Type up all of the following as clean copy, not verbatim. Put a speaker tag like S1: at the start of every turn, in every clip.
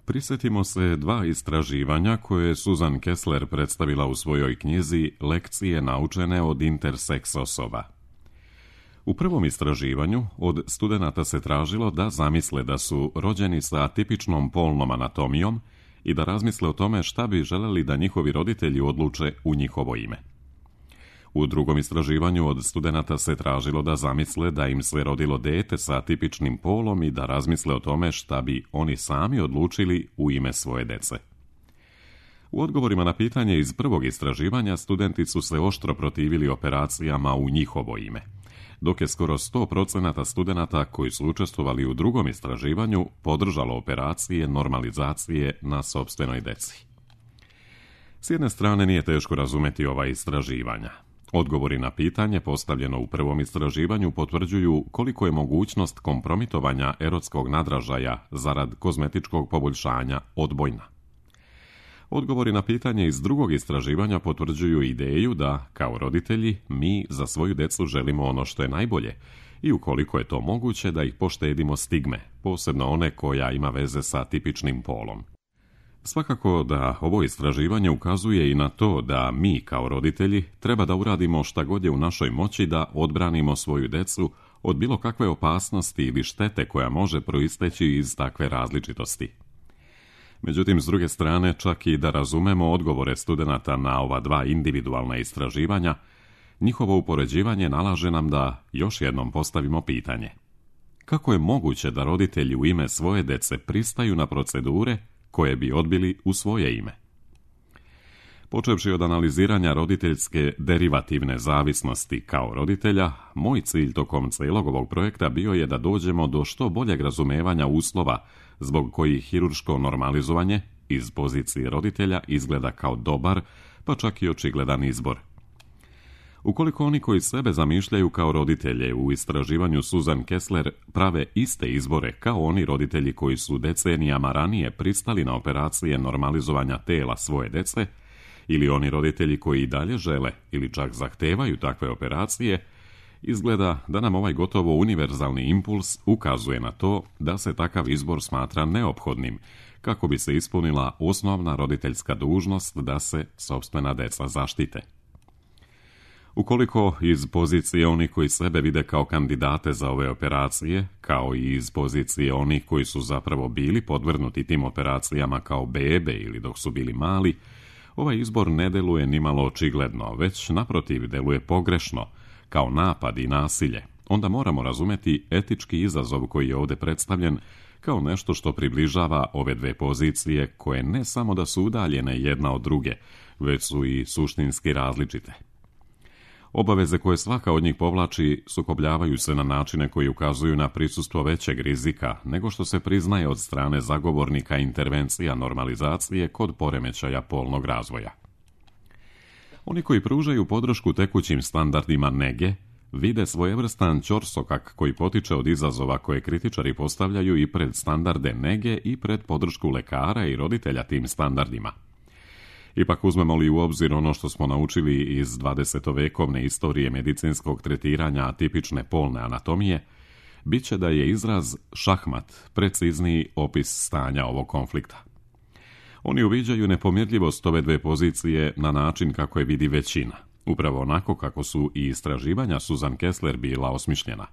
S1: Prisjetimo se dva istraživanja koje je Susan Kessler predstavila u svojoj knjizi Lekcije naučene od interseks osoba. U prvom istraživanju od studenata se tražilo da zamisle da su rođeni sa atipičnom polnom anatomijom i da razmisle o tome šta bi želeli da njihovi roditelji odluče u njihovo ime. U drugom istraživanju od studenata se tražilo da zamisle da im se rodilo dete sa atipičnim polom i da razmisle o tome šta bi oni sami odlučili u ime svoje dece. U odgovorima na pitanje iz prvog istraživanja studenti su se oštro protivili operacijama u njihovo ime, dok je skoro 100% studenata koji su učestvovali u drugom istraživanju podržalo operacije normalizacije na sopstvenoj deci. S jedne strane nije teško razumeti ova istraživanja. Odgovori na pitanje postavljeno u prvom istraživanju potvrđuju koliko je mogućnost kompromitovanja erotskog nadražaja zarad kozmetičkog poboljšanja odbojna. Odgovori na pitanje iz drugog istraživanja potvrđuju ideju da, kao roditelji, mi za svoju decu želimo ono što je najbolje i ukoliko je to moguće da ih poštedimo stigme, posebno one koja ima veze sa tipičnim polom. Svakako da ovo istraživanje ukazuje i na to da mi kao roditelji treba da uradimo šta god je u našoj moći da odbranimo svoju decu od bilo kakve opasnosti ili štete koja može proisteći iz takve različitosti. Međutim, s druge strane, čak i da razumemo odgovore studenata na ova dva individualna istraživanja, njihovo upoređivanje nalaže nam da još jednom postavimo pitanje. Kako je moguće da roditelji u ime svoje dece pristaju na procedure koje bi odbili u svoje ime? Počevši od analiziranja roditeljske derivativne zavisnosti kao roditelja, moj cilj tokom celog ovog projekta bio je da dođemo do što boljeg razumevanja uslova zbog kojih hirurško normalizovanje iz pozicije roditelja izgleda kao dobar, pa čak i očigledan izbor. Ukoliko oni koji sebe zamišljaju kao roditelje u istraživanju Susan Kessler prave iste izbore kao oni roditelji koji su decenijama ranije pristali na operacije normalizovanja tela svoje dece, ili oni roditelji koji i dalje žele ili čak zahtevaju takve operacije, izgleda da nam ovaj gotovo univerzalni impuls ukazuje na to da se takav izbor smatra neophodnim kako bi se ispunila osnovna roditeljska dužnost da se sopstvena deca zaštite. Ukoliko iz pozicije onih koji sebe vide kao kandidate za ove operacije, kao i iz pozicije onih koji su zapravo bili podvrgnuti tim operacijama kao bebe ili dok su bili mali, ovaj izbor ne deluje nimalo očigledno, već naprotiv deluje pogrešno, kao napad i nasilje. Onda moramo razumeti etički izazov koji je ovdje predstavljen kao nešto što približava ove dve pozicije koje ne samo da su udaljene jedna od druge, već su i suštinski različite. Obaveze koje svaka od njih povlači sukobljavaju se na načine koji ukazuju na prisustvo većeg rizika nego što se priznaje od strane zagovornika intervencija normalizacije kod poremećaja polnog razvoja. Oni koji pružaju podršku tekućim standardima nege vide svojevrstan ćorsokak koji potiče od izazova koje kritičari postavljaju i pred standarde nege i pred podršku lekara i roditelja tim standardima. Ipak uzmemo li u obzir ono što smo naučili iz 20-vekovne istorije medicinskog tretiranja atipične polne anatomije, bit će da je izraz šahmat precizniji opis stanja ovog konflikta. Oni uviđaju nepomirljivost ove dve pozicije na način kako je vidi većina, upravo onako kako su i istraživanja Susan Kessler bila osmišljena.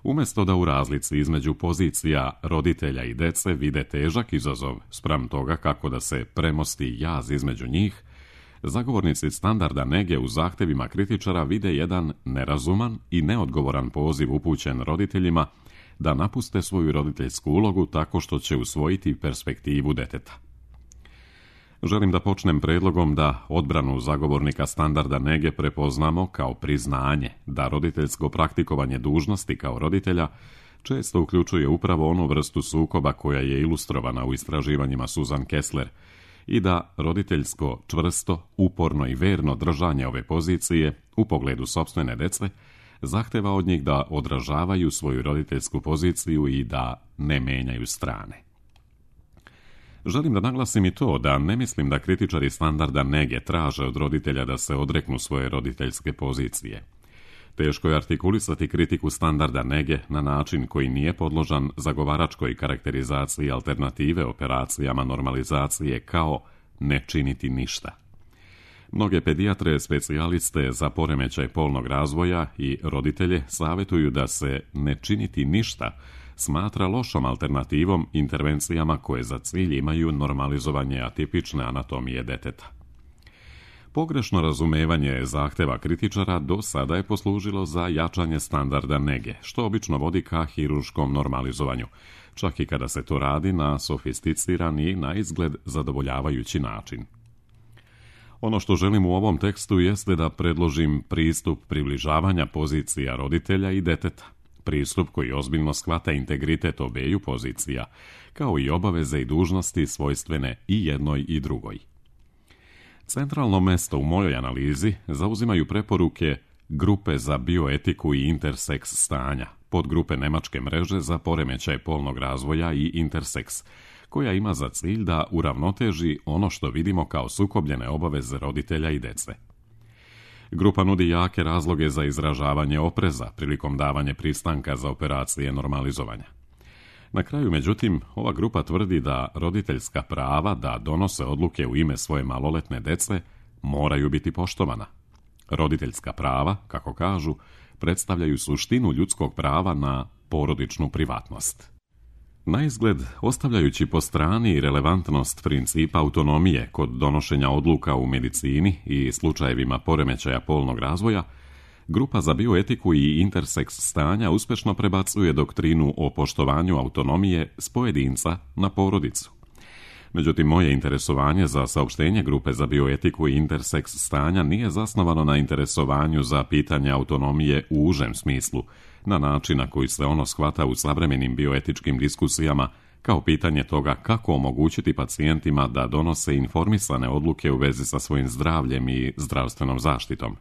S1: Umjesto da u razlici između pozicija roditelja i dece vide težak izazov spram toga kako da se premosti jaz između njih, zagovornici standarda nege u zahtevima kritičara vide jedan nerazuman i neodgovoran poziv upućen roditeljima da napuste svoju roditeljsku ulogu tako što će usvojiti perspektivu deteta. Želim da počnem predlogom da odbranu zagovornika standarda nege prepoznamo kao priznanje da roditeljsko praktikovanje dužnosti kao roditelja često uključuje upravo onu vrstu sukoba koja je ilustrovana u istraživanjima Susan Kessler i da roditeljsko, čvrsto, uporno i verno držanje ove pozicije u pogledu sopstvene dece zahteva od njih da odražavaju svoju roditeljsku poziciju i da ne menjaju strane. Želim da naglasim i to da ne mislim da kritičari standarda nege traže od roditelja da se odreknu svoje roditeljske pozicije. Teško je artikulisati kritiku standarda nege na način koji nije podložan zagovaračkoj karakterizaciji alternative operacijama normalizacije kao ne činiti ništa. Mnoge pedijatre, specijaliste za poremećaj polnog razvoja i roditelje savjetuju da se ne činiti ništa smatra lošom alternativom intervencijama koje za cilj imaju normalizovanje atipične anatomije deteta. Pogrešno razumevanje zahteva kritičara do sada je poslužilo za jačanje standarda nege, što obično vodi ka hirurškom normalizovanju, čak i kada se to radi na sofisticiran i na izgled zadovoljavajući način. Ono što želim u ovom tekstu jeste da predložim pristup približavanja pozicija roditelja i deteta, pristup koji ozbiljno shvata integritet obeju pozicija, kao i obaveze i dužnosti svojstvene i jednoj i drugoj. Centralno mesto u mojoj analizi zauzimaju preporuke Grupe za bioetiku i interseks stanja, podgrupe Nemačke mreže za poremećaj polnog razvoja i interseks, koja ima za cilj da uravnoteži ono što vidimo kao sukobljene obaveze roditelja i dece. Grupa nudi jake razloge za izražavanje opreza prilikom davanja pristanka za operacije normalizovanja. Na kraju, međutim, ova grupa tvrdi da roditeljska prava da donose odluke u ime svoje maloletne dece moraju biti poštovana. Roditeljska prava, kako kažu, predstavljaju suštinu ljudskog prava na porodičnu privatnost. Naizgled, ostavljajući po strani relevantnost principa autonomije kod donošenja odluka u medicini i slučajevima poremećaja polnog razvoja, Grupa za bioetiku i interseks stanja uspješno prebacuje doktrinu o poštovanju autonomije s pojedinca na porodicu. Međutim, moje interesovanje za saopštenje Grupe za bioetiku i interseks stanja nije zasnovano na interesovanju za pitanje autonomije u užem smislu, na način na koji se ono shvata u savremenim bioetičkim diskusijama kao pitanje toga kako omogućiti pacijentima da donose informisane odluke u vezi sa svojim zdravljem i zdravstvenom zaštitom.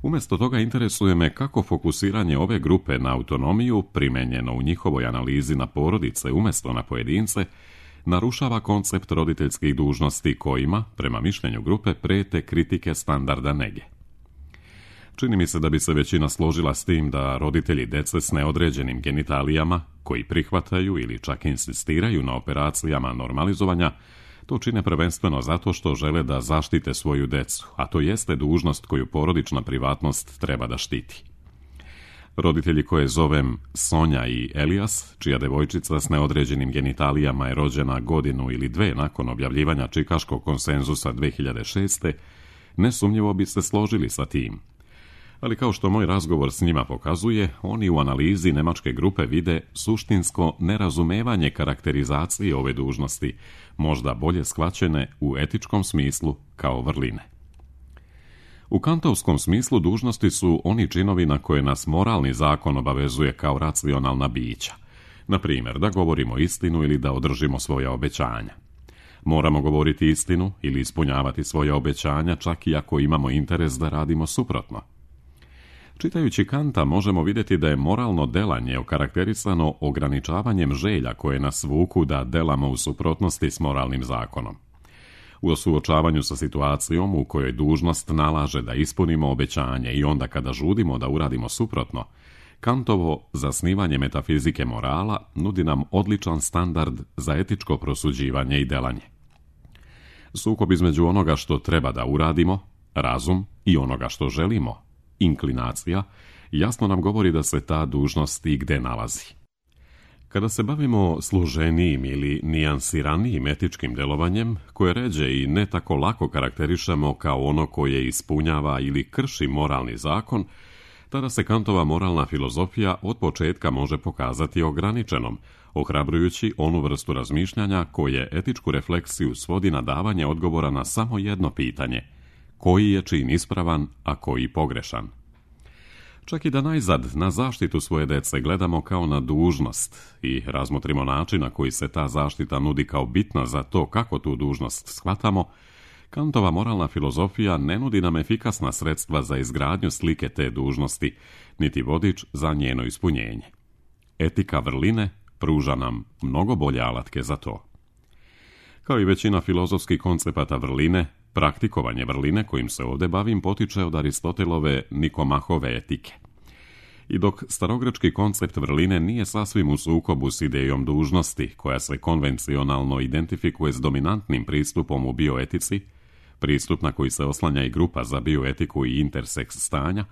S1: Umjesto toga interesuje me kako fokusiranje ove grupe na autonomiju, primenjeno u njihovoj analizi na porodice umjesto na pojedince, narušava koncept roditeljskih dužnosti kojima, prema mišljenju grupe, prijete kritike standarda nege. Čini mi se da bi se većina složila s tim da roditelji dece s neodređenim genitalijama, koji prihvataju ili čak insistiraju na operacijama normalizovanja, to čine prvenstveno zato što žele da zaštite svoju decu, a to jeste dužnost koju porodična privatnost treba da štiti. Roditelji koje zovem Sonja i Elijas, čija devojčica s neodređenim genitalijama je rođena godinu ili dve nakon objavljivanja Čikaškog konsenzusa 2006. nesumnjivo bi se složili sa tim. Ali kao što moj razgovor s njima pokazuje, oni u analizi nemačke grupe vide suštinsko nerazumevanje karakterizacije ove dužnosti, možda bolje shvaćene u etičkom smislu kao vrline. U kantovskom smislu dužnosti su oni činovi na koje nas moralni zakon obavezuje kao racionalna bića. Na primjer, da govorimo istinu ili da održimo svoja obećanja. Moramo govoriti istinu ili ispunjavati svoja obećanja čak i ako imamo interes da radimo suprotno. Čitajući Kanta možemo vidjeti da je moralno delanje okarakterisano ograničavanjem želja koje nas vuku da delamo u suprotnosti s moralnim zakonom. U suočavanju sa situacijom u kojoj dužnost nalaže da ispunimo obećanje i onda kada žudimo da uradimo suprotno, Kantovo zasnivanje metafizike morala nudi nam odličan standard za etičko prosuđivanje i delanje. Sukob između onoga što treba da uradimo, razum, i onoga što želimo, inklinacija, jasno nam govori da se ta dužnost i gde nalazi. Kada se bavimo složenijim ili nijansiranijim etičkim delovanjem, koje ređe i ne tako lako karakterišemo kao ono koje ispunjava ili krši moralni zakon, tada se Kantova moralna filozofija od početka može pokazati ograničenom, ohrabrujući onu vrstu razmišljanja koje etičku refleksiju svodi na davanje odgovora na samo jedno pitanje: koji je čin ispravan, a koji pogrešan. Čak i da najzad na zaštitu svoje dece gledamo kao na dužnost i razmotrimo način na koji se ta zaštita nudi kao bitna za to kako tu dužnost shvatamo, Kantova moralna filozofija ne nudi nam efikasna sredstva za izgradnju slike te dužnosti, niti vodič za njeno ispunjenje. Etika vrline pruža nam mnogo bolje alatke za to. Kao i većina filozofskih koncepata vrline, Praktikovanje vrline kojim se ovdje bavim potiče od Aristotelove Nikomahove etike. I dok starogrečki koncept vrline nije sasvim u sukobu s idejom dužnosti, koja se konvencionalno identifikuje s dominantnim pristupom u bioetici, pristup na koji se oslanja i grupa za bioetiku i interseks stanja,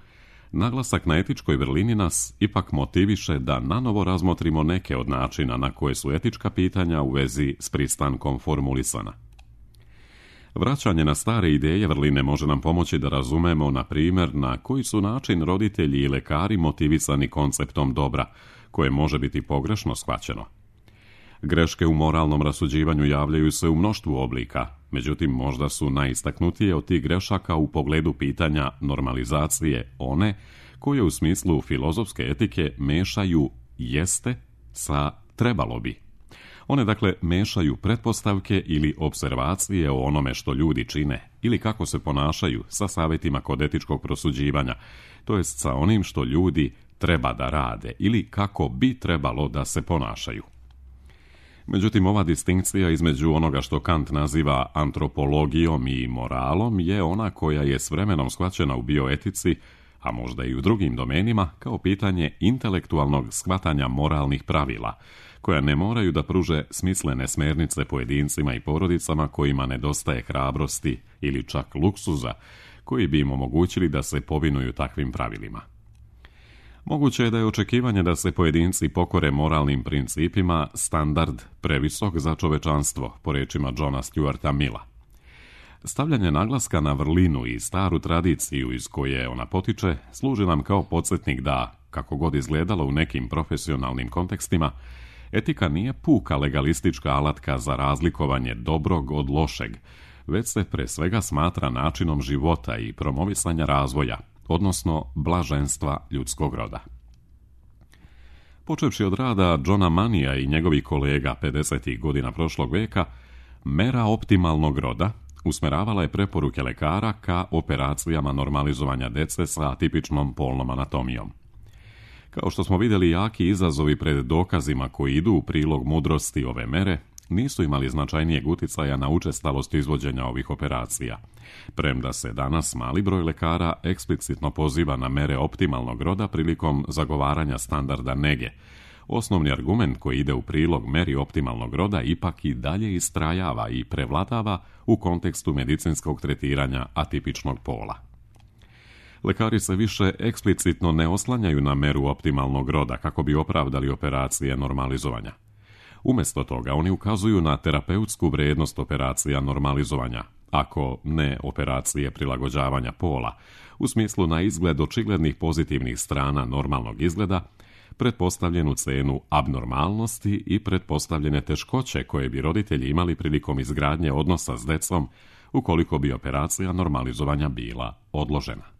S1: naglasak na etičkoj vrlini nas ipak motiviše da nanovo razmotrimo neke od načina na koje su etička pitanja u vezi s pristankom formulisana. Vraćanje na stare ideje vrline može nam pomoći da razumemo, na primjer, na koji su način roditelji i lekari motivisani konceptom dobra, koje može biti pogrešno shvaćeno. Greške u moralnom rasuđivanju javljaju se u mnoštvu oblika, međutim možda su najistaknutije od tih grešaka u pogledu pitanja normalizacije one koje u smislu filozofske etike mešaju jeste sa trebalo bi. One dakle mešaju pretpostavke ili observacije o onome što ljudi čine ili kako se ponašaju sa savjetima kod etičkog prosuđivanja, to jest sa onim što ljudi treba da rade ili kako bi trebalo da se ponašaju. Međutim, ova distinkcija između onoga što Kant naziva antropologijom i moralom je ona koja je s vremenom shvaćena u bioetici, a možda i u drugim domenima, kao pitanje intelektualnog shvatanja moralnih pravila, koja ne moraju da pruže smislene smernice pojedincima i porodicama kojima nedostaje hrabrosti ili čak luksuza, koji bi im omogućili da se povinuju takvim pravilima. Moguće je da je očekivanje da se pojedinci pokore moralnim principima standard previsok za čovečanstvo, po rečima Johna Stuarta Milla. Stavljanje naglaska na vrlinu i staru tradiciju iz koje ona potiče služi nam kao podsjetnik da, kako god izgledalo u nekim profesionalnim kontekstima, etika nije puka legalistička alatka za razlikovanje dobrog od lošeg, već se pre svega smatra načinom života i promovisanja razvoja, odnosno blaženstva ljudskog roda. Počevši od rada Johna Manija i njegovih kolega 50. godina prošlog veka, mera optimalnog roda usmeravala je preporuke lekara ka operacijama normalizovanja dece sa atipičnom polnom anatomijom. Kao što smo vidjeli, jaki izazovi pred dokazima koji idu u prilog mudrosti ove mere nisu imali značajnijeg uticaja na učestalost izvođenja ovih operacija, premda se danas mali broj lekara eksplicitno poziva na mere optimalnog roda prilikom zagovaranja standarda nege. Osnovni argument koji ide u prilog meri optimalnog roda ipak i dalje istrajava i prevladava u kontekstu medicinskog tretiranja atipičnog pola. Lekari se više eksplicitno ne oslanjaju na meru optimalnog roda kako bi opravdali operacije normalizovanja. Umjesto toga, oni ukazuju na terapeutsku vrijednost operacija normalizovanja, ako ne operacije prilagođavanja pola, u smislu na izgled očiglednih pozitivnih strana normalnog izgleda, pretpostavljenu cenu abnormalnosti i pretpostavljene teškoće koje bi roditelji imali prilikom izgradnje odnosa s decom ukoliko bi operacija normalizovanja bila odložena.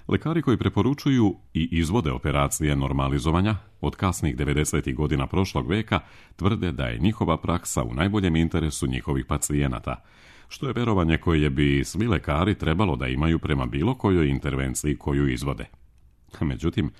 S1: Lekari koji preporučuju i izvode operacije normalizovanja od kasnih 90. godina prošlog veka tvrde da je njihova praksa u najboljem interesu njihovih pacijenata, što je verovanje koje bi svi lekari trebalo da imaju prema bilo kojoj intervenciji koju izvode. Međutim,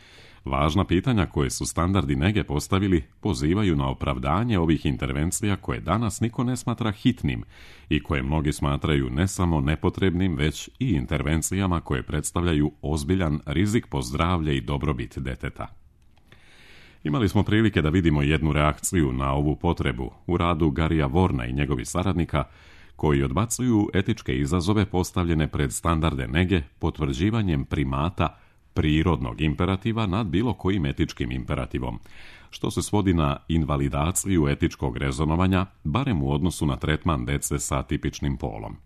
S1: važna pitanja koje su standardi nege postavili pozivaju na opravdanje ovih intervencija koje danas niko ne smatra hitnim i koje mnogi smatraju ne samo nepotrebnim, već i intervencijama koje predstavljaju ozbiljan rizik po zdravlje i dobrobit deteta. Imali smo prilike da vidimo jednu reakciju na ovu potrebu u radu Garija Vorna i njegovih saradnika, koji odbacuju etičke izazove postavljene pred standarde nege potvrđivanjem primata prirodnog imperativa nad bilo kojim etičkim imperativom, što se svodi na invalidaciju etičkog rezonovanja, barem u odnosu na tretman dece sa atipičnim polom.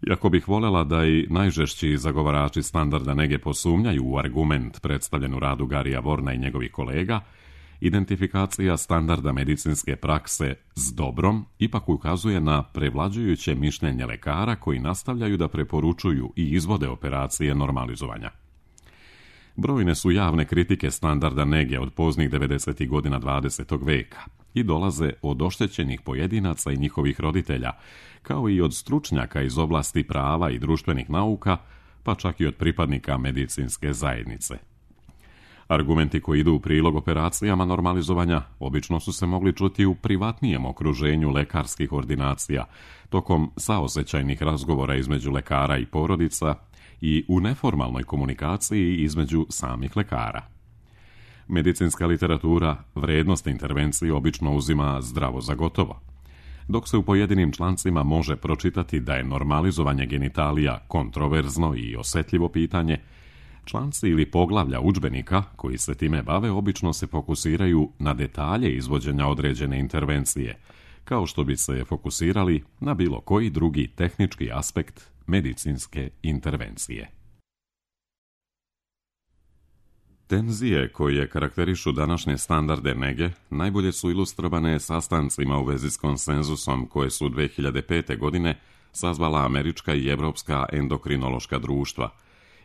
S1: Iako bih voljela da i najžešći zagovarači standarda nege posumnjaju u argument predstavljen u radu Garija Vorna i njegovih kolega, identifikacija standarda medicinske prakse s dobrom ipak ukazuje na prevlađujuće mišljenje lekara koji nastavljaju da preporučuju i izvode operacije normalizovanja. Brojne su javne kritike standarda nege od poznih 90. godina 20. veka i dolaze od oštećenih pojedinaca i njihovih roditelja, kao i od stručnjaka iz oblasti prava i društvenih nauka, pa čak i od pripadnika medicinske zajednice. Argumenti koji idu u prilog operacijama normalizovanja obično su se mogli čuti u privatnijem okruženju lekarskih ordinacija, tokom saosećajnih razgovora između lekara i porodica i u neformalnoj komunikaciji između samih lekara. Medicinska literatura vrednost intervencije obično uzima zdravo za gotovo. Dok se u pojedinim člancima može pročitati da je normalizovanje genitalija kontroverzno i osjetljivo pitanje, članci ili poglavlja udžbenika koji se time bave obično se fokusiraju na detalje izvođenja određene intervencije, kao što bi se fokusirali na bilo koji drugi tehnički aspekt medicinske intervencije. Tenzije koje karakterišu današnje standarde nege najbolje su ilustrovane sastancima u vezi s konsenzusom koje su 2005. godine sazvala američka i evropska endokrinološka društva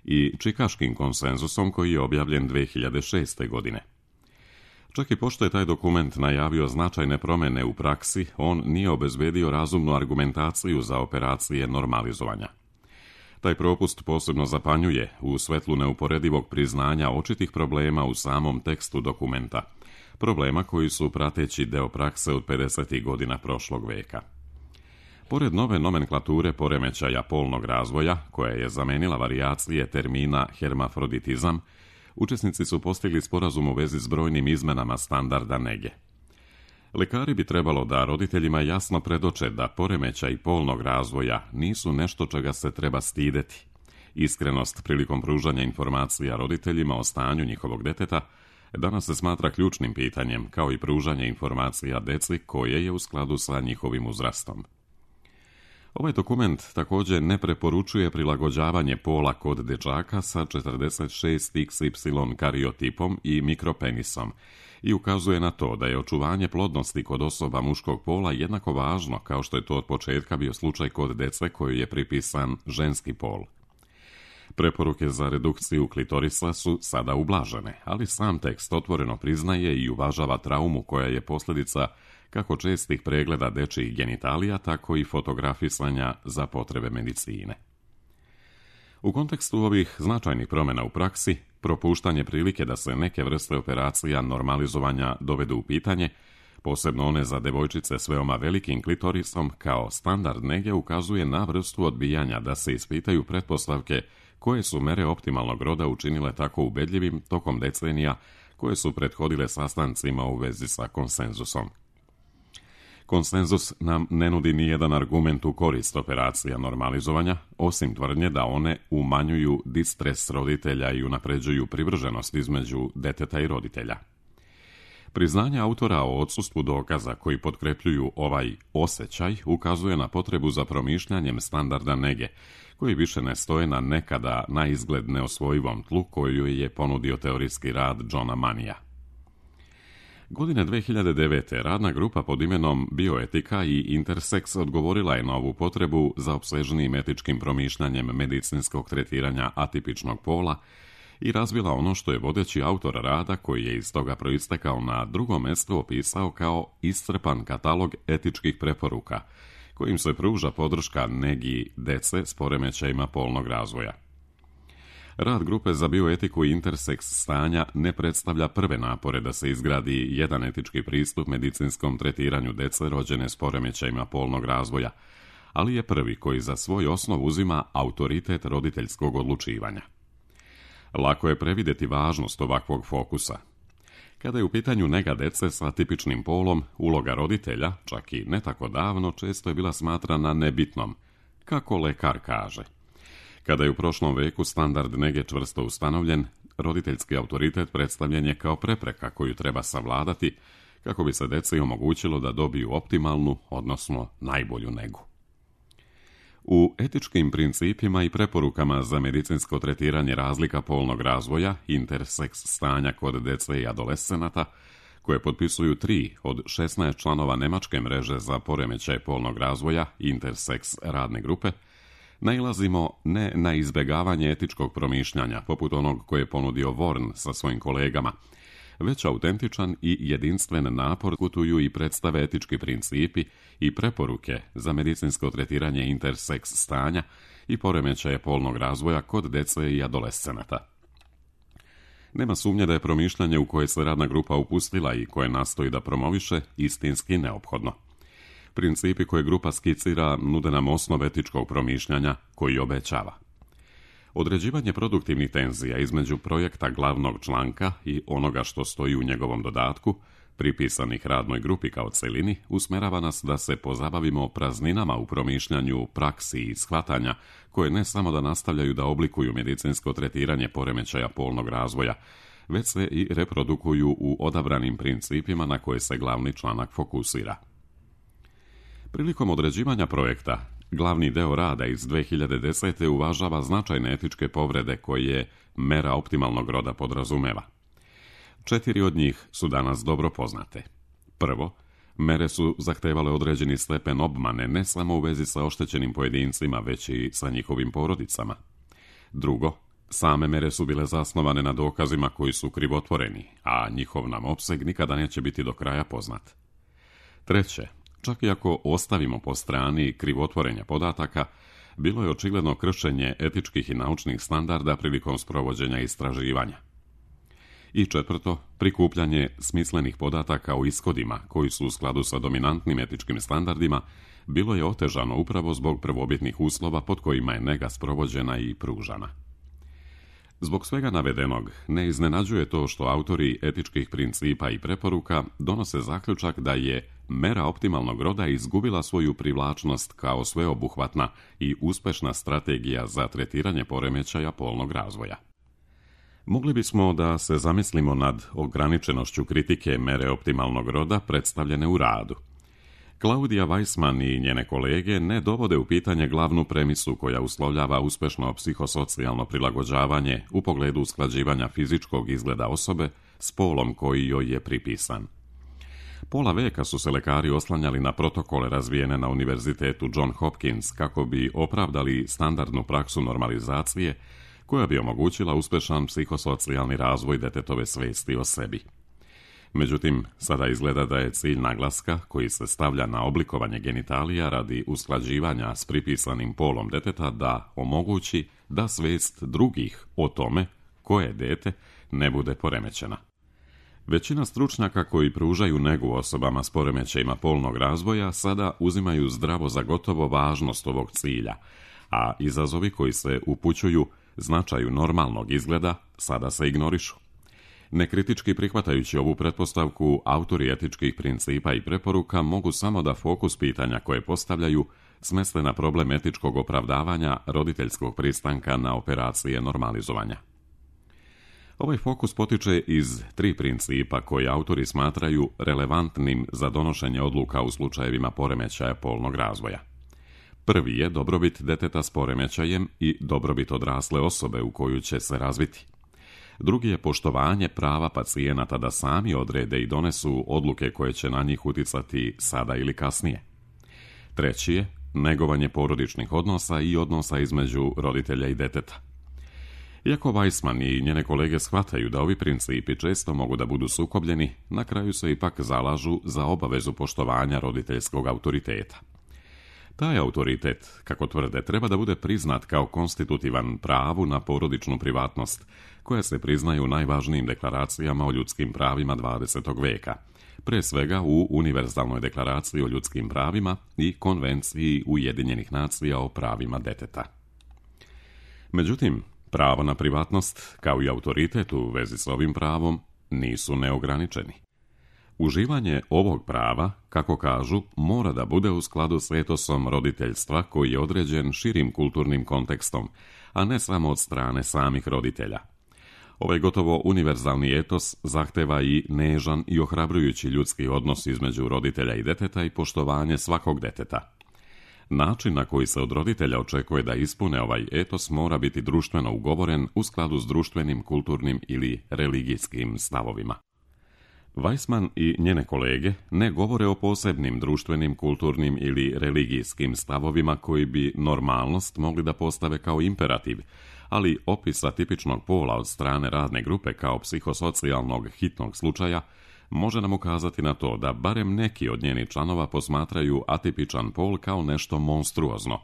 S1: i čikaškim konsenzusom koji je objavljen 2006. godine. Čak i pošto je taj dokument najavio značajne promjene u praksi, on nije obezbedio razumnu argumentaciju za operacije normalizovanja. Taj propust posebno zapanjuje u svetlu neuporedivog priznanja očitih problema u samom tekstu dokumenta, problema koji su prateći deo prakse od 50. godina prošlog veka. Pored nove nomenklature poremećaja polnog razvoja, koja je zamenila varijacije termina hermafroditizam, učesnici su postigli sporazum u vezi s brojnim izmenama standarda nege. Lekari bi trebalo da roditeljima jasno predoče da poremećaj polnog razvoja nisu nešto čega se treba stideti. Iskrenost prilikom pružanja informacija roditeljima o stanju njihovog deteta danas se smatra ključnim pitanjem, kao i pružanje informacija deci koje je u skladu sa njihovim uzrastom. Ovaj dokument također ne preporučuje prilagođavanje pola kod dečaka sa 46XY kariotipom i mikropenisom i ukazuje na to da je očuvanje plodnosti kod osoba muškog pola jednako važno kao što je to od početka bio slučaj kod dece kojoj je pripisan ženski pol. Preporuke za redukciju klitorisa su sada ublažene, ali sam tekst otvoreno priznaje i uvažava traumu koja je posljedica kako čestih pregleda dečjih genitalija, tako i fotografisanja za potrebe medicine. U kontekstu ovih značajnih promjena u praksi, propuštanje prilike da se neke vrste operacija normalizovanja dovedu u pitanje, posebno one za devojčice s veoma velikim klitorisom, kao standard nege ukazuje na vrstu odbijanja da se ispitaju pretpostavke koje su mere optimalnog roda učinile tako ubedljivim tokom decenija koje su prethodile sastancima u vezi sa konsenzusom. Konsenzus nam ne nudi nijedan argument u korist operacija normalizovanja, osim tvrdnje da one umanjuju distres roditelja i unapređuju privrženost između deteta i roditelja. Priznanje autora o odsustvu dokaza koji potkrepljuju ovaj osjećaj ukazuje na potrebu za promišljanjem standarda nege, koji više ne stoje na nekada na izgled neosvojivom tlu koju je ponudio teorijski rad Johna Manija. Godine 2009. radna grupa pod imenom Bioetika i Intersex odgovorila je na ovu potrebu za opsežnijim etičkim promišljanjem medicinskog tretiranja atipičnog pola i razvila ono što je vodeći autor rada, koji je iz toga proistekao na drugom mjestu, opisao kao iscrpan katalog etičkih preporuka, kojim se pruža podrška negi dece s poremećajima polnog razvoja. Rad grupe za bioetiku i Intersex stanja ne predstavlja prve napore da se izgradi jedan etički pristup medicinskom tretiranju dece rođene s poremećajima polnog razvoja, ali je prvi koji za svoj osnov uzima autoritet roditeljskog odlučivanja. Lako je previdjeti važnost ovakvog fokusa. Kada je u pitanju nega dece sa tipičnim polom, uloga roditelja, čak i ne tako davno, često je bila smatrana nebitnom, kako lekar kaže. Kada je u prošlom veku standard nege čvrsto ustanovljen, roditeljski autoritet predstavljen je kao prepreka koju treba savladati kako bi se deci omogućilo da dobiju optimalnu, odnosno najbolju negu. U etičkim principima i preporukama za medicinsko tretiranje razlika polnog razvoja, intersex stanja kod dece i adolescenata, koje potpisuju 3 od 16 članova nemačke mreže za poremećaj polnog razvoja, intersex radne grupe, nailazimo ne na izbjegavanje etičkog promišljanja, poput onog koje je ponudio Worn sa svojim kolegama, već autentičan i jedinstven napor kutuju i predstave etički principi i preporuke za medicinsko tretiranje intersex stanja i poremećaje polnog razvoja kod dece i adolescenata. Nema sumnje da je promišljanje u koje se radna grupa upustila i koje nastoji da promoviše istinski neophodno. Principi koje grupa skicira nude nam osnov etičkog promišljanja koji obećava. Određivanje produktivnih tenzija između projekta glavnog članka i onoga što stoji u njegovom dodatku, pripisanih radnoj grupi kao celini, usmerava nas da se pozabavimo prazninama u promišljanju, praksi i shvatanja koje ne samo da nastavljaju da oblikuju medicinsko tretiranje poremećaja polnog razvoja, već se i reprodukuju u odabranim principima na koje se glavni članak fokusira. Prilikom određivanja projekta, glavni deo rada iz 2010. uvažava značajne etičke povrede koje mera optimalnog roda podrazumeva. 4 od njih su danas dobro poznate. Prvo, mere su zahtevale određeni stepen obmane ne samo u vezi sa oštećenim pojedincima, već i sa njihovim porodicama. Drugo, same mere su bile zasnovane na dokazima koji su krivotvoreni, a njihov nam opseg nikada neće biti do kraja poznat. Treće, čak i ako ostavimo po strani krivotvorenja podataka, bilo je očigledno kršenje etičkih i naučnih standarda prilikom sprovođenja istraživanja. I četvrto, prikupljanje smislenih podataka o ishodima koji su u skladu sa dominantnim etičkim standardima bilo je otežano upravo zbog prvobitnih uslova pod kojima je nega sprovođena i pružana. Zbog svega navedenog, ne iznenađuje to što autori etičkih principa i preporuka donose zaključak da je mera optimalnog roda izgubila svoju privlačnost kao sveobuhvatna i uspešna strategija za tretiranje poremećaja polnog razvoja. Mogli bismo da se zamislimo nad ograničenošću kritike mere optimalnog roda predstavljene u radu. Claudia Weissman i njene kolege ne dovode u pitanje glavnu premisu koja uslovljava uspešno psihosocijalno prilagođavanje u pogledu usklađivanja fizičkog izgleda osobe s polom koji joj je pripisan. Pola veka su se lekari oslanjali na protokole razvijene na Univerzitetu John Hopkins kako bi opravdali standardnu praksu normalizacije koja bi omogućila uspešan psihosocijalni razvoj detetove svesti o sebi. Međutim, sada izgleda da je cilj naglaska koji se stavlja na oblikovanje genitalija radi usklađivanja s pripisanim polom deteta da omogući da svest drugih o tome koje dete ne bude poremećena. Većina stručnjaka koji pružaju negu osobama s poremećajima polnog razvoja sada uzimaju zdravo za gotovo važnost ovog cilja, a izazovi koji se upućuju značaju normalnog izgleda sada se ignorišu. Nekritički prihvatajući ovu pretpostavku, autori etičkih principa i preporuka mogu samo da fokus pitanja koje postavljaju smeste na problem etičkog opravdavanja roditeljskog pristanka na operacije normalizovanja. Ovaj fokus potiče iz 3 principa koje autori smatraju relevantnim za donošenje odluka u slučajevima poremećaja polnog razvoja. Prvi je dobrobit deteta s poremećajem i dobrobit odrasle osobe u koju će se razviti. Drugi je poštovanje prava pacijenata da sami odrede i donesu odluke koje će na njih uticati sada ili kasnije. Treći je negovanje porodičnih odnosa i odnosa između roditelja i deteta. Iako Weissman i njene kolege shvataju da ovi principi često mogu da budu sukobljeni, na kraju se ipak zalažu za obavezu poštovanja roditeljskog autoriteta. Taj autoritet, kako tvrde, treba da bude priznat kao konstitutivan pravu na porodičnu privatnost, koja se priznaju u najvažnijim deklaracijama o ljudskim pravima 20. veka, pre svega u Univerzalnoj deklaraciji o ljudskim pravima i Konvenciji Ujedinjenih nacija o pravima deteta. Međutim, pravo na privatnost, kao i autoritet u vezi s ovim pravom, nisu neograničeni. Uživanje ovog prava, kako kažu, mora da bude u skladu s etosom roditeljstva koji je određen širim kulturnim kontekstom, a ne samo od strane samih roditelja. Ovaj gotovo univerzalni etos zahteva i nežan i ohrabrujući ljudski odnos između roditelja i deteta i poštovanje svakog deteta. Način na koji se od roditelja očekuje da ispune ovaj etos mora biti društveno ugovoren u skladu s društvenim, kulturnim ili religijskim stavovima. Weissman i njene kolege ne govore o posebnim društvenim, kulturnim ili religijskim stavovima koji bi normalnost mogli da postave kao imperativ, ali opisa tipičnog pola od strane radne grupe kao psihosocijalnog hitnog slučaja može nam ukazati na to da barem neki od njenih članova posmatraju atipičan pol kao nešto monstruozno,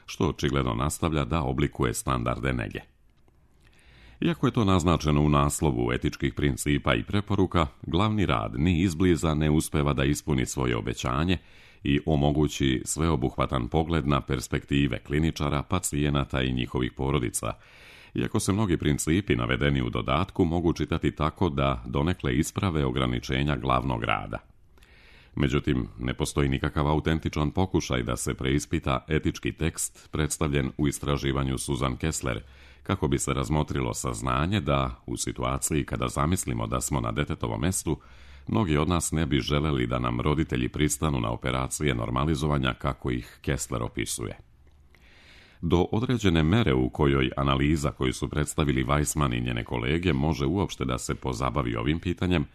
S1: što očigledno nastavlja da oblikuje standarde nege. Iako je to naznačeno u naslovu etičkih principa i preporuka, glavni rad ni izbliza ne uspeva da ispuni svoje obećanje i omogući sveobuhvatan pogled na perspektive kliničara, pacijenata i njihovih porodica, iako se mnogi principi navedeni u dodatku mogu čitati tako da donekle isprave ograničenja glavnog rada. Međutim, ne postoji nikakav autentičan pokušaj da se preispita etički tekst predstavljen u istraživanju Susan Kessler, kako bi se razmotrilo saznanje da, u situaciji kada zamislimo da smo na detetovom mestu, mnogi od nas ne bi želeli da nam roditelji pristanu na operacije normalizovanja kako ih Kessler opisuje. Do određene mere u kojoj analiza koju su predstavili Weissman i njene kolege može uopšte da se pozabavi ovim pitanjem,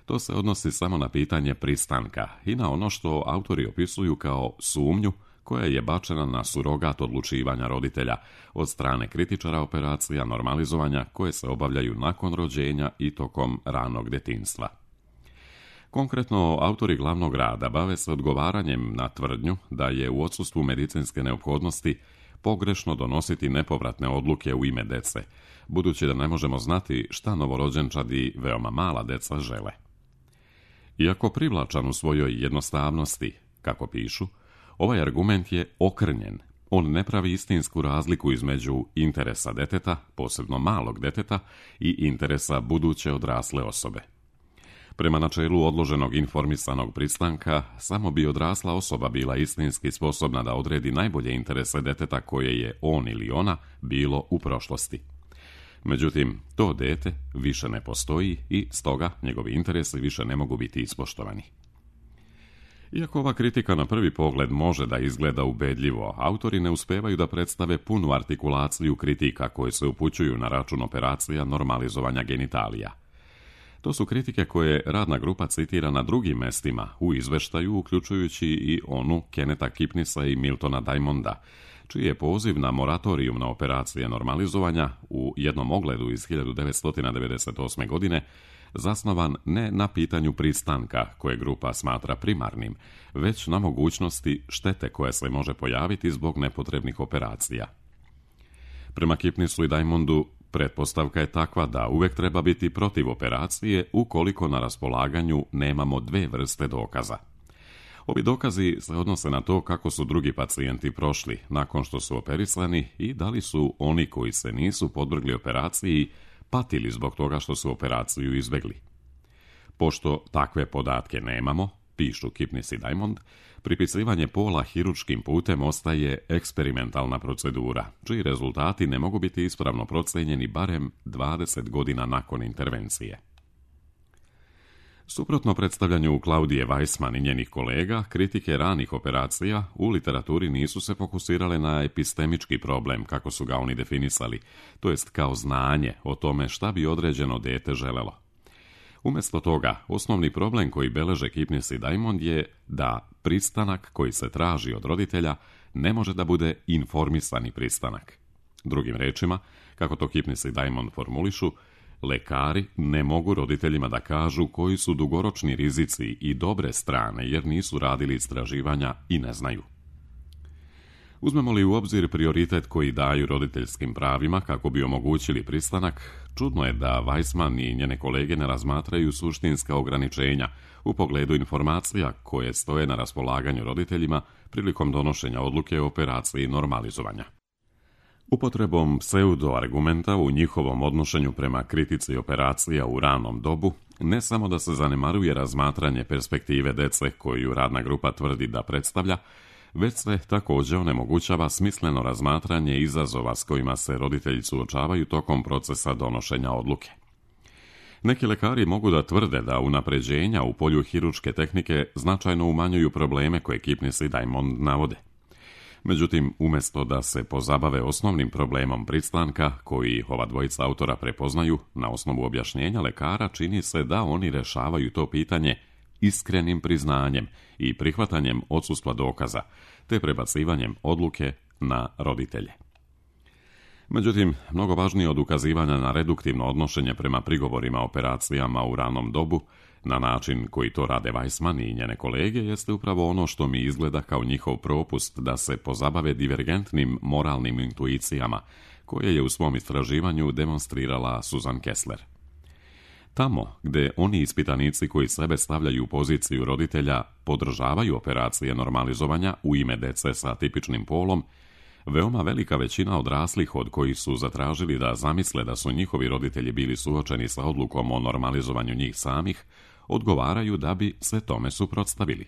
S1: to se odnosi samo na pitanje pristanka i na ono što autori opisuju kao sumnju koja je bačena na surogat odlučivanja roditelja od strane kritičara operacija normalizovanja koje se obavljaju nakon rođenja i tokom ranog detinjstva. Konkretno, autori glavnog rada bave se odgovaranjem na tvrdnju da je u odsustvu medicinske neophodnosti pogrešno donositi nepovratne odluke u ime dece, budući da ne možemo znati šta novorođenčadi veoma mala deca žele. Iako privlačan u svojoj jednostavnosti, kako pišu, ovaj argument je okrnjen. On ne pravi istinsku razliku između interesa deteta, posebno malog deteta, i interesa buduće odrasle osobe. Prema načelu odloženog informisanog pristanka, samo bi odrasla osoba bila istinski sposobna da odredi najbolje interese deteta koje je on ili ona bilo u prošlosti. Međutim, to dete više ne postoji i stoga njegovi interesi više ne mogu biti ispoštovani. Iako ova kritika na prvi pogled može da izgleda ubedljivo, autori ne uspevaju da predstave punu artikulaciju kritika koje se upućuju na račun operacija normalizovanja genitalija. To su kritike koje radna grupa citira na drugim mestima u izveštaju, uključujući i onu Kennetha Kipnisa i Miltona Diamonda, čiji je poziv na moratorijum na operacije normalizovanja u jednom ogledu iz 1998. godine zasnovan ne na pitanju pristanka, koje grupa smatra primarnim, već na mogućnosti štete koja se može pojaviti zbog nepotrebnih operacija. Prema Kipnisu i Diamondu, pretpostavka je takva da uvek treba biti protiv operacije ukoliko na raspolaganju nemamo dve vrste dokaza. Ovi dokazi se odnose na to kako su drugi pacijenti prošli nakon što su operisani i da li su oni koji se nisu podvrgli operaciji patili zbog toga što su operaciju izbegli. Pošto takve podatke nemamo, pišu Kipnis i Diamond, pripisivanje pola hirurškim putem ostaje eksperimentalna procedura, čiji rezultati ne mogu biti ispravno procenjeni barem 20 godina nakon intervencije. Suprotno predstavljanju Klaudije Weissman i njenih kolega, kritike ranih operacija u literaturi nisu se fokusirale na epistemički problem, kako su ga oni definisali, to jest kao znanje o tome šta bi određeno dete želelo. Umjesto toga, osnovni problem koji beleže Kipnis i Diamond je da pristanak koji se traži od roditelja ne može da bude informisani pristanak. Drugim rečima, kako to Kipnis i Diamond formulišu, lekari ne mogu roditeljima da kažu koji su dugoročni rizici i dobre strane jer nisu radili istraživanja i ne znaju. Uzmemo li u obzir prioritet koji daju roditeljskim pravima kako bi omogućili pristanak, čudno je da Weissman i njene kolege ne razmatraju suštinska ograničenja u pogledu informacija koje stoje na raspolaganju roditeljima prilikom donošenja odluke o operaciji normalizovanja. Upotrebom pseudo-argumenta u njihovom odnošenju prema kritici operacija u ranom dobu, ne samo da se zanemaruje razmatranje perspektive dece koju radna grupa tvrdi da predstavlja, već se također onemogućava smisleno razmatranje izazova s kojima se roditelji suočavaju tokom procesa donošenja odluke. Neki lekari mogu da tvrde da unapređenja u polju hirurške tehnike značajno umanjuju probleme koje Kipnis i Diamond navode. Međutim, umjesto da se pozabave osnovnim problemom pristanka, koji ova dvojica autora prepoznaju na osnovu objašnjenja lekara, čini se da oni rešavaju to pitanje iskrenim priznanjem i prihvatanjem odsustva dokaza, te prebacivanjem odluke na roditelje. Međutim, mnogo važnije od ukazivanja na reduktivno odnošenje prema prigovorima operacijama u ranom dobu, na način koji to rade Weissman i njene kolege, jeste upravo ono što mi izgleda kao njihov propust da se pozabave divergentnim moralnim intuicijama koje je u svom istraživanju demonstrirala Susan Kessler. Tamo gdje oni ispitanici koji sebe stavljaju u poziciju roditelja podržavaju operacije normalizovanja u ime dece sa tipičnim polom, veoma velika većina odraslih od kojih su zatražili da zamisle da su njihovi roditelji bili suočeni sa odlukom o normalizovanju njih samih, odgovaraju da bi se tome suprotstavili.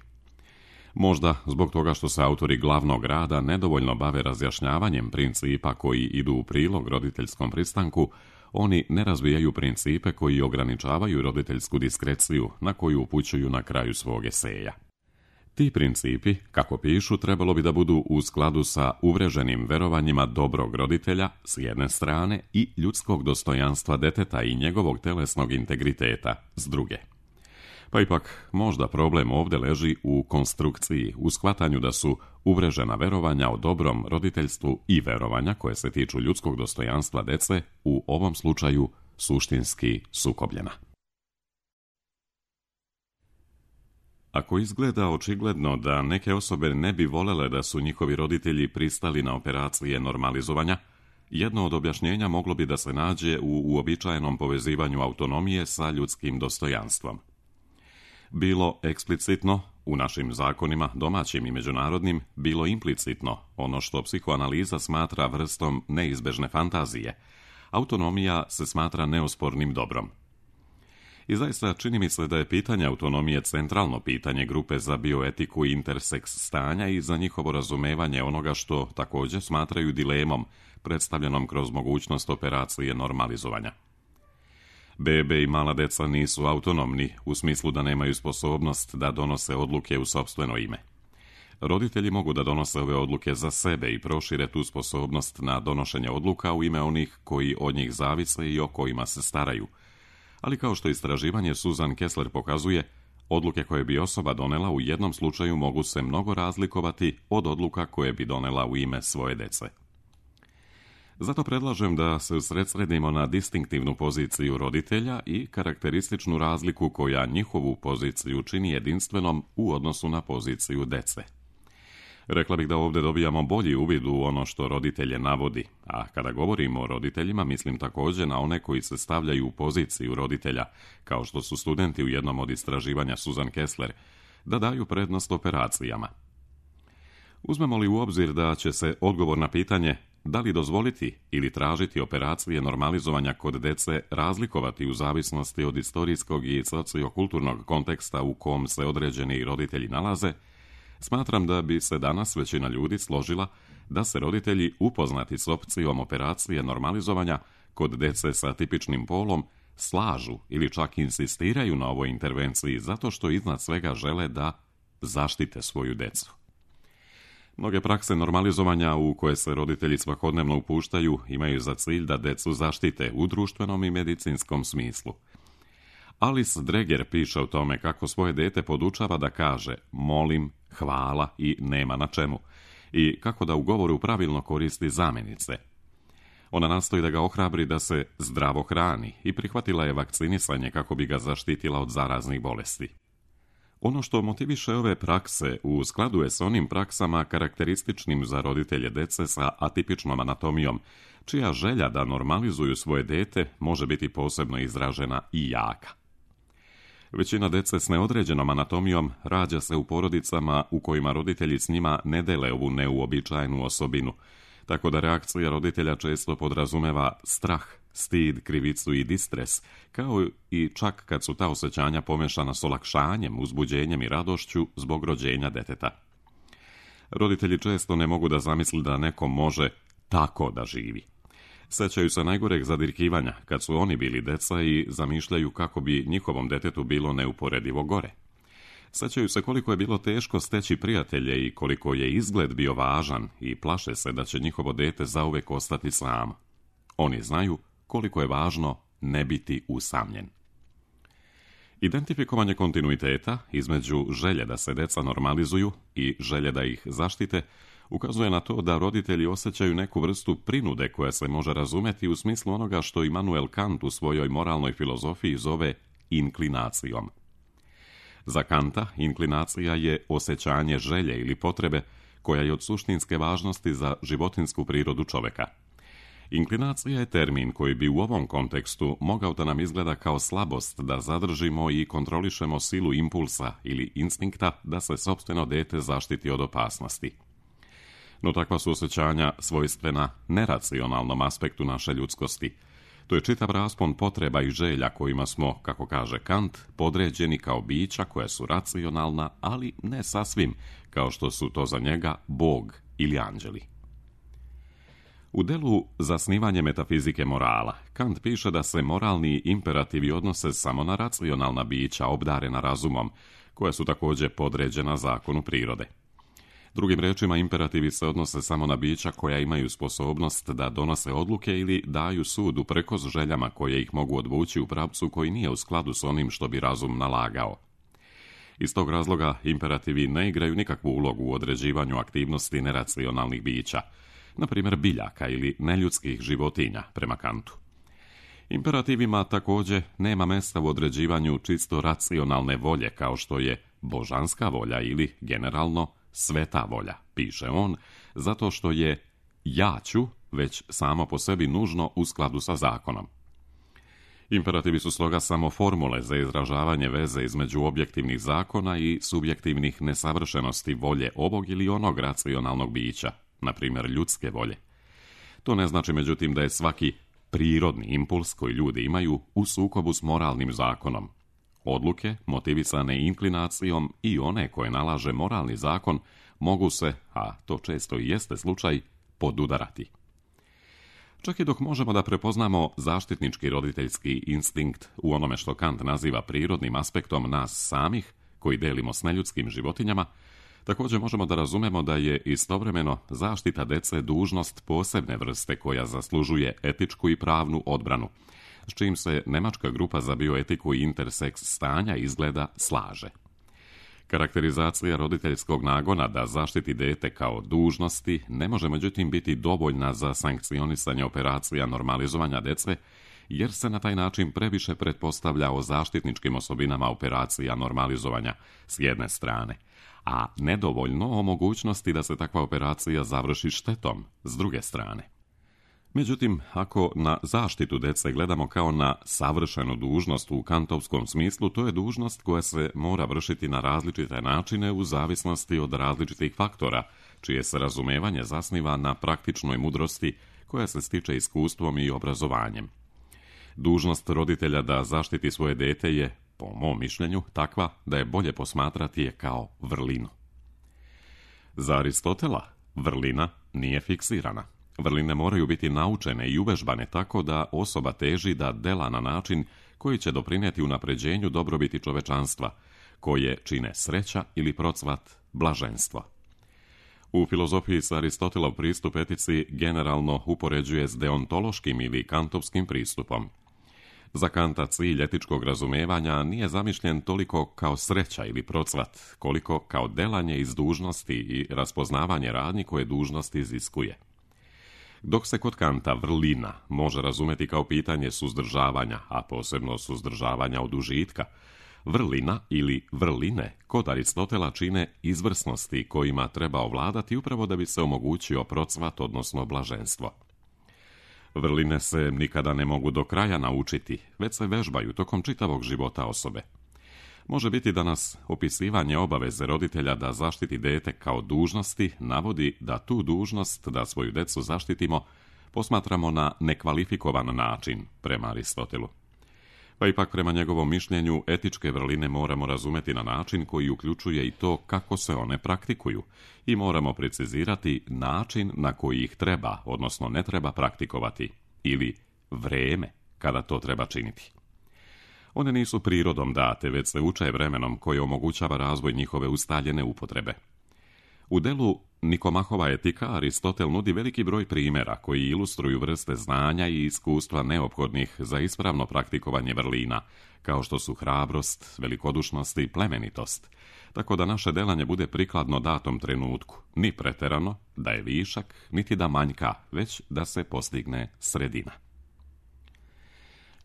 S1: Možda zbog toga što se autori glavnog rada nedovoljno bave razjašnjavanjem principa koji idu u prilog roditeljskom pristanku, oni ne razvijaju principe koji ograničavaju roditeljsku diskreciju na koju upućuju na kraju svog eseja. Ti principi, kako pišu, trebalo bi da budu u skladu sa uvreženim verovanjima dobrog roditelja s jedne strane i ljudskog dostojanstva deteta i njegovog telesnog integriteta s druge. Pa ipak, možda problem ovdje leži u konstrukciji, u shvatanju da su uvrežena verovanja o dobrom roditeljstvu i verovanja koje se tiču ljudskog dostojanstva dece u ovom slučaju suštinski sukobljena. Ako izgleda očigledno da neke osobe ne bi volele da su njihovi roditelji pristali na operacije normalizovanja, jedno od objašnjenja moglo bi da se nađe u uobičajenom povezivanju autonomije sa ljudskim dostojanstvom. Bilo eksplicitno, u našim zakonima, domaćim i međunarodnim, bilo implicitno, ono što psihoanaliza smatra vrstom neizbežne fantazije. Autonomija se smatra neospornim dobrom. I zaista čini mi se da je pitanje autonomije centralno pitanje grupe za bioetiku i interseks stanja i za njihovo razumevanje onoga što također smatraju dilemom, predstavljenom kroz mogućnost operacije normalizovanja. Bebe i mala deca nisu autonomni u smislu da nemaju sposobnost da donose odluke u sopstveno ime. Roditelji mogu da donose ove odluke za sebe i prošire tu sposobnost na donošenje odluka u ime onih koji od njih zavise i o kojima se staraju. Ali kao što istraživanje Susan Kessler pokazuje, odluke koje bi osoba donela u jednom slučaju mogu se mnogo razlikovati od odluka koje bi donela u ime svoje dece. Zato predlažem da se usredsredimo na distinktivnu poziciju roditelja i karakterističnu razliku koja njihovu poziciju čini jedinstvenom u odnosu na poziciju dece. Rekla bih da ovdje dobijamo bolji uvid u ono što roditelje navodi, a kada govorimo o roditeljima mislim također na one koji se stavljaju u poziciju roditelja, kao što su studenti u jednom od istraživanja Susan Kessler, da daju prednost operacijama. Uzmemo li u obzir da će se odgovor na pitanje da li dozvoliti ili tražiti operacije normalizovanja kod dece razlikovati u zavisnosti od istorijskog i sociokulturnog konteksta u kom se određeni roditelji nalaze, smatram da bi se danas većina ljudi složila da se roditelji upoznati s opcijom operacije normalizovanja kod dece sa tipičnim polom slažu ili čak insistiraju na ovoj intervenciji zato što iznad svega žele da zaštite svoju decu. Mnoge prakse normalizovanja u koje se roditelji svakodnevno upuštaju imaju za cilj da decu zaštite u društvenom i medicinskom smislu. Alice Dreger piše o tome kako svoje dete podučava da kaže molim, hvala i nema na čemu i kako da u govoru pravilno koristi zamjenice. Ona nastoji da ga ohrabri da se zdravo hrani i prihvatila je vakcinisanje kako bi ga zaštitila od zaraznih bolesti. Ono što motiviše ove prakse u skladu je s onim praksama karakterističnim za roditelje dece sa atipičnom anatomijom, čija želja da normalizuju svoje dete može biti posebno izražena i jaka. Većina dece s neodređenom anatomijom rađa se u porodicama u kojima roditelji s njima ne dele ovu neuobičajenu osobinu, tako da reakcija roditelja često podrazumeva strah, stid, krivicu i distres, kao i čak kad su ta osjećanja pomešana s olakšanjem, uzbuđenjem i radošću zbog rođenja deteta. Roditelji često ne mogu da zamisli da neko može tako da živi. Sećaju se najgoreg zadirkivanja kad su oni bili deca i zamišljaju kako bi njihovom detetu bilo neuporedivo gore. Sećaju se koliko je bilo teško steći prijatelje i koliko je izgled bio važan i plaše se da će njihovo dete zauvek ostati samo. Oni znaju koliko je važno ne biti usamljen. Identifikovanje kontinuiteta između želje da se deca normalizuju i želje da ih zaštite ukazuje na to da roditelji osjećaju neku vrstu prinude koja se može razumjeti u smislu onoga što Immanuel Kant u svojoj moralnoj filozofiji zove inklinacijom. Za Kanta inklinacija je osjećanje želje ili potrebe koja je od suštinske važnosti za životinjsku prirodu čoveka. Inklinacija je termin koji bi u ovom kontekstu mogao da nam izgleda kao slabost da zadržimo i kontrolišemo silu impulsa ili instinkta da se sopstveno dete zaštiti od opasnosti. No takva su osjećanja svojstvena neracionalnom aspektu naše ljudskosti. To je čitav raspon potreba i želja kojima smo, kako kaže Kant, podređeni kao bića koja su racionalna, ali ne sasvim, kao što su to za njega Bog ili anđeli. U delu Zasnivanje metafizike morala, Kant piše da se moralni imperativi odnose samo na racionalna bića obdarena razumom, koja su također podređena zakonu prirode. Drugim rečima, imperativi se odnose samo na bića koja imaju sposobnost da donose odluke ili daju sud uprkos željama koje ih mogu odvući u pravcu koji nije u skladu s onim što bi razum nalagao. Iz tog razloga imperativi ne igraju nikakvu ulogu u određivanju aktivnosti neracionalnih bića, na primjer biljaka ili neljudskih životinja, prema Kantu. Imperativima također nema mjesta u određivanju čisto racionalne volje kao što je božanska volja ili, generalno, sveta volja, piše on, zato što je ja ću već samo po sebi nužno u skladu sa zakonom. Imperativi su stoga samo formule za izražavanje veze između objektivnih zakona i subjektivnih nesavršenosti volje ovog ili onog racionalnog bića, na primjer ljudske volje. To ne znači međutim da je svaki prirodni impuls koji ljudi imaju u sukobu s moralnim zakonom. Odluke, motivisane inklinacijom i one koje nalaže moralni zakon, mogu se, a to često i jeste slučaj, podudarati. Čak i dok možemo da prepoznamo zaštitnički roditeljski instinkt u onome što Kant naziva prirodnim aspektom nas samih, koji delimo s neljudskim životinjama, također možemo da razumemo da je istovremeno zaštita dece dužnost posebne vrste koja zaslužuje etičku i pravnu odbranu, s čim se nemačka grupa za bioetiku i interseks stanja izgleda slaže. Karakterizacija roditeljskog nagona da zaštiti dete kao dužnosti ne može međutim biti dovoljna za sankcionisanje operacija normalizovanja dece, jer se na taj način previše pretpostavlja o zaštitničkim osobinama operacija normalizovanja s jedne strane, a nedovoljno o mogućnosti da se takva operacija završi štetom s druge strane. Međutim, ako na zaštitu dece gledamo kao na savršenu dužnost u kantovskom smislu, to je dužnost koja se mora vršiti na različite načine u zavisnosti od različitih faktora, čije se razumevanje zasniva na praktičnoj mudrosti koja se stiče iskustvom i obrazovanjem. Dužnost roditelja da zaštiti svoje dete je, po mom mišljenju, takva da je bolje posmatrati je kao vrlinu. Za Aristotela vrlina nije fiksirana. Vrline moraju biti naučene i uvežbane tako da osoba teži da dela na način koji će doprinijeti unapređenju dobrobiti čovečanstva, koje čine sreća ili procvat blaženstvo. U filozofiji se Aristotelov pristup etici generalno upoređuje s deontološkim ili kantovskim pristupom. Za Kanta cilj etičkog razumevanja nije zamišljen toliko kao sreća ili procvat, koliko kao delanje iz dužnosti i raspoznavanje radnji koje dužnost iziskuje. Dok se kod Kanta vrlina može razumeti kao pitanje suzdržavanja, a posebno suzdržavanja od užitka, vrlina ili vrline kod Aristotela čine izvrsnosti kojima treba ovladati upravo da bi se omogućio procvat, odnosno blaženstvo. Vrline se nikada ne mogu do kraja naučiti, već se vežbaju tokom čitavog života osobe. Može biti da nas opisivanje obaveze roditelja da zaštiti dete kao dužnosti navodi da tu dužnost da svoju decu zaštitimo posmatramo na nekvalifikovan način prema Aristotelu. Pa ipak prema njegovom mišljenju etičke vrline moramo razumeti na način koji uključuje i to kako se one praktikuju i moramo precizirati način na koji ih treba, odnosno ne treba praktikovati, ili vreme kada to treba činiti. One nisu prirodom date, već se uče vremenom koje omogućava razvoj njihove ustaljene upotrebe. U delu Nikomahova etika Aristotel nudi veliki broj primjera koji ilustruju vrste znanja i iskustva neophodnih za ispravno praktikovanje vrlina, kao što su hrabrost, velikodušnost i plemenitost, tako da naše delanje bude prikladno datom trenutku, ni preterano, da je višak, niti da manjka, već da se postigne sredina.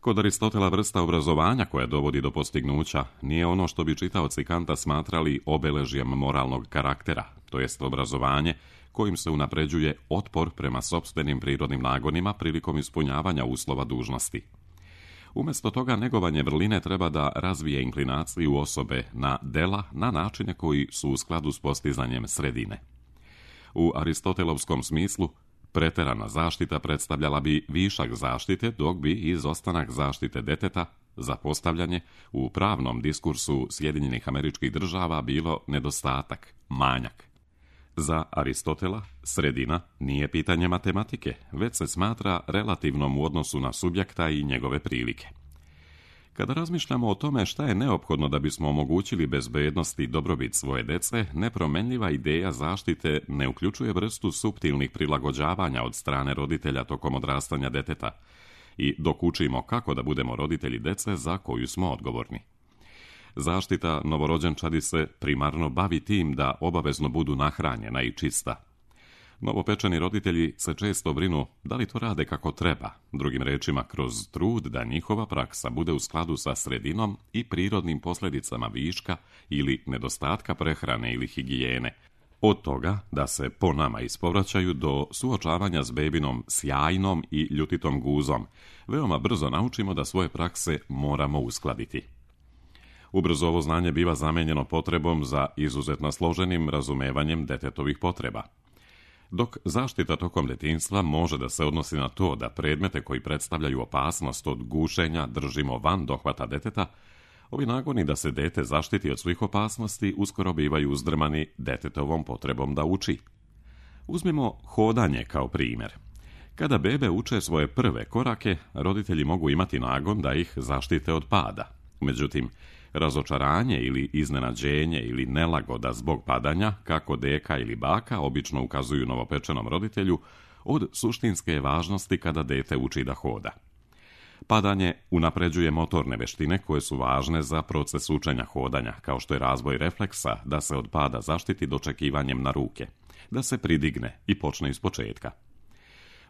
S1: Kod Aristotela vrsta obrazovanja koja dovodi do postignuća nije ono što bi čitaoci Kanta smatrali obeležjem moralnog karaktera, to jest obrazovanje kojim se unapređuje otpor prema sopstvenim prirodnim nagonima prilikom ispunjavanja uslova dužnosti. Umjesto toga, negovanje vrline treba da razvije inklinaciju osobe na dela na načine koji su u skladu s postizanjem sredine. U aristotelovskom smislu, preterana zaštita predstavljala bi višak zaštite, dok bi izostanak zaštite deteta, zapostavljanje, u pravnom diskursu Sjedinjenih Američkih Država bilo nedostatak, manjak. Za Aristotela, sredina nije pitanje matematike, već se smatra relativnom u odnosu na subjekta i njegove prilike. Kada razmišljamo o tome šta je neophodno da bismo omogućili bezbednost i dobrobit svoje dece, nepromenljiva ideja zaštite ne uključuje vrstu suptilnih prilagođavanja od strane roditelja tokom odrastanja deteta i dok učimo kako da budemo roditelji dece za koju smo odgovorni. Zaštita novorođenčadi se primarno bavi tim da obavezno budu nahranjena i čista. Novopečeni roditelji se često brinu da li to rade kako treba, drugim rečima kroz trud da njihova praksa bude u skladu sa sredinom i prirodnim posljedicama viška ili nedostatka prehrane ili higijene, od toga da se po nama ispovraćaju do suočavanja s bebinom sjajnom i ljutitom guzom. Veoma brzo naučimo da svoje prakse moramo uskladiti. Ubrzo ovo znanje biva zamenjeno potrebom za izuzetno složenim razumevanjem detetovih potreba. Dok zaštita tokom detinjstva može da se odnosi na to da predmete koji predstavljaju opasnost od gušenja držimo van dohvata deteta, ovi nagoni da se dete zaštiti od svih opasnosti uskoro bivaju uzdrmani detetovom potrebom da uči. Uzmimo hodanje kao primjer. Kada bebe uče svoje prve korake, roditelji mogu imati nagon da ih zaštite od pada. Međutim, razočaranje ili iznenađenje ili nelagoda zbog padanja, kako deka ili baka obično ukazuju novopečenom roditelju, od suštinske je važnosti kada dete uči da hoda. Padanje unapređuje motorne veštine koje su važne za proces učenja hodanja, kao što je razvoj refleksa da se od pada zaštiti dočekivanjem na ruke, da se pridigne i počne ispočetka.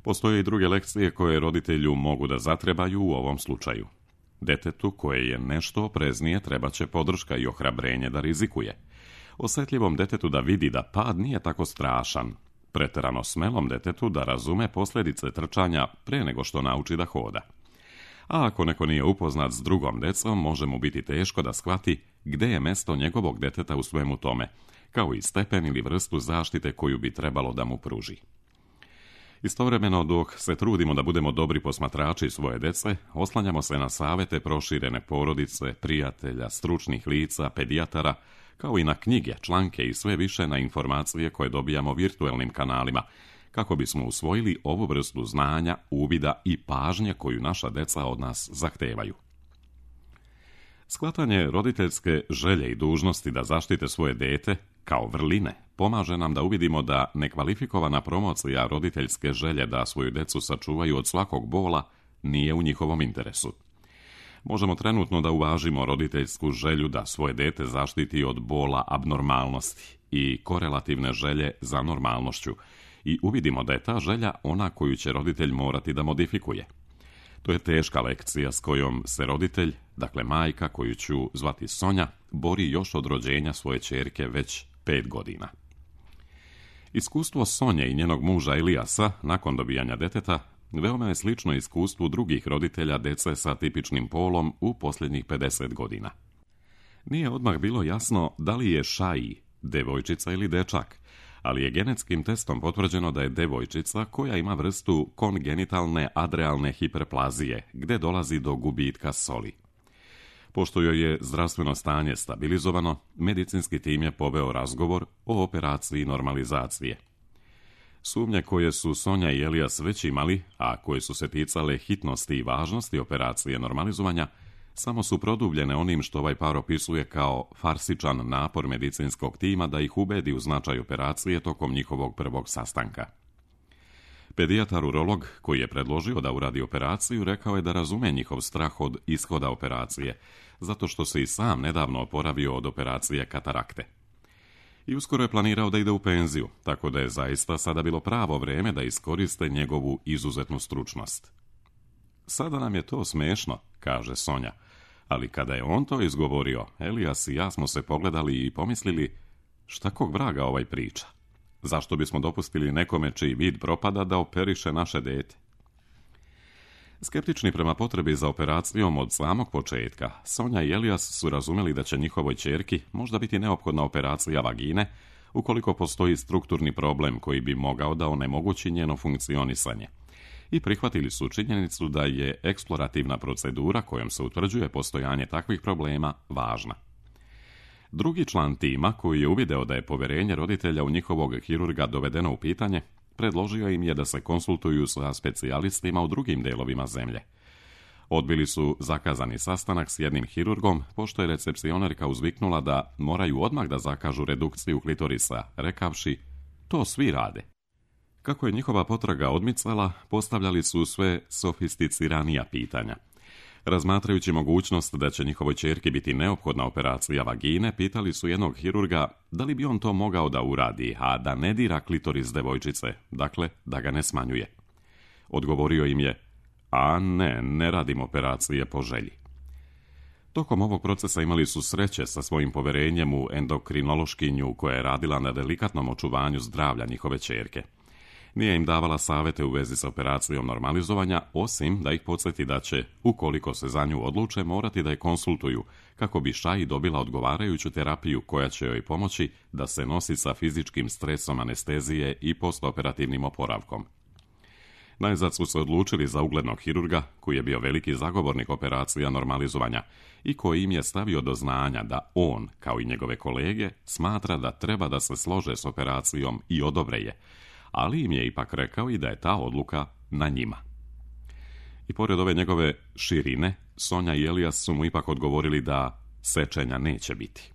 S1: Postoje i druge lekcije koje roditelju mogu da zatrebaju u ovom slučaju. Detetu koje je nešto opreznije treba će podrška i ohrabrenje da rizikuje. Osjetljivom detetu da vidi da pad nije tako strašan. Preterano smelom detetu da razume posljedice trčanja pre nego što nauči da hoda. A ako neko nije upoznat s drugom decom, može mu biti teško da shvati gde je mesto njegovog deteta u svemu tome, kao i stepen ili vrstu zaštite koju bi trebalo da mu pruži. Istovremeno, dok se trudimo da budemo dobri posmatrači svoje dece, oslanjamo se na savete proširene porodice, prijatelja, stručnih lica, pedijatara, kao i na knjige, članke i sve više na informacije koje dobijamo virtuelnim kanalima, kako bismo usvojili ovu vrstu znanja, uvida i pažnje koju naša deca od nas zahtevaju. Shvatanje roditeljske želje i dužnosti da zaštite svoje dete, kao vrline, pomaže nam da uvidimo da nekvalifikovana promocija roditeljske želje da svoju decu sačuvaju od svakog bola nije u njihovom interesu. Možemo trenutno da uvažimo roditeljsku želju da svoje dete zaštiti od bola abnormalnosti i korelativne želje za normalnošću i uvidimo da je ta želja ona koju će roditelj morati da modifikuje. To je teška lekcija s kojom se roditelj, dakle majka koju ću zvati Sonja, bori još od rođenja svoje ćerke već 5 godina. Iskustvo Sonje i njenog muža Elijasa nakon dobijanja deteta veoma je slično iskustvu drugih roditelja dece sa tipičnim polom u posljednjih 50 godina. Nije odmah bilo jasno da li je Šaji devojčica ili dečak, ali je genetskim testom potvrđeno da je devojčica koja ima vrstu kongenitalne adrenalne hiperplazije, gde dolazi do gubitka soli. Pošto joj je zdravstveno stanje stabilizovano, medicinski tim je poveo razgovor o operaciji normalizacije. Sumnje koje su Sonja i Elijas već imali, a koje su se ticale hitnosti i važnosti operacije normalizovanja, samo su produbljene onim što ovaj par opisuje kao farsičan napor medicinskog tima da ih ubedi u značaj operacije tokom njihovog prvog sastanka. Pedijatar urolog koji je predložio da uradi operaciju rekao je da razume njihov strah od ishoda operacije, zato što se i sam nedavno oporavio od operacije katarakte. I uskoro je planirao da ide u penziju, tako da je zaista sada bilo pravo vreme da iskoriste njegovu izuzetnu stručnost. Sada nam je to smešno, kaže Sonja, ali kada je on to izgovorio, Elijas i ja smo se pogledali i pomislili šta kog vraga ovaj priča. Zašto bismo dopustili nekome čiji vid propada da operiše naše dete? Skeptični prema potrebi za operacijom od samog početka, Sonja i Elias su razumjeli da će njihovoj ćerki možda biti neophodna operacija vagine ukoliko postoji strukturni problem koji bi mogao da onemogući njeno funkcionisanje. I prihvatili su činjenicu da je eksplorativna procedura kojom se utvrđuje postojanje takvih problema važna. Drugi član tima, koji je uvideo da je povjerenje roditelja u njihovog hirurga dovedeno u pitanje, predložio im je da se konsultuju sa specijalistima u drugim delovima zemlje. Odbili su zakazani sastanak s jednim hirurgom, pošto je recepcionerka uzviknula da moraju odmah da zakažu redukciju klitorisa, rekavši, to svi rade. Kako je njihova potraga odmicala, postavljali su sve sofisticiranija pitanja. Razmatrajući mogućnost da će njihovoj ćerki biti neophodna operacija vagine, pitali su jednog hirurga da li bi on to mogao da uradi, a da ne dira klitoris devojčice, dakle da ga ne smanjuje. Odgovorio im je, a ne radim operacije po želji. Tokom ovog procesa imali su sreće sa svojim poverenjem u endokrinološkinju koja je radila na delikatnom očuvanju zdravlja njihove ćerke. Nije im davala savjete u vezi s operacijom normalizovanja, osim da ih podsjeti da će, ukoliko se za nju odluče, morati da je konsultuju, kako bi Shai dobila odgovarajuću terapiju koja će joj pomoći da se nosi sa fizičkim stresom anestezije i postoperativnim oporavkom. Najzad su se odlučili za uglednog hirurga, koji je bio veliki zagovornik operacija normalizovanja i koji im je stavio do znanja da on, kao i njegove kolege, smatra da treba da se slože s operacijom i odobre je, ali im je ipak rekao i da je ta odluka na njima. I pored ove njegove širine, Sonja i Elias su mu ipak odgovorili da sečenja neće biti.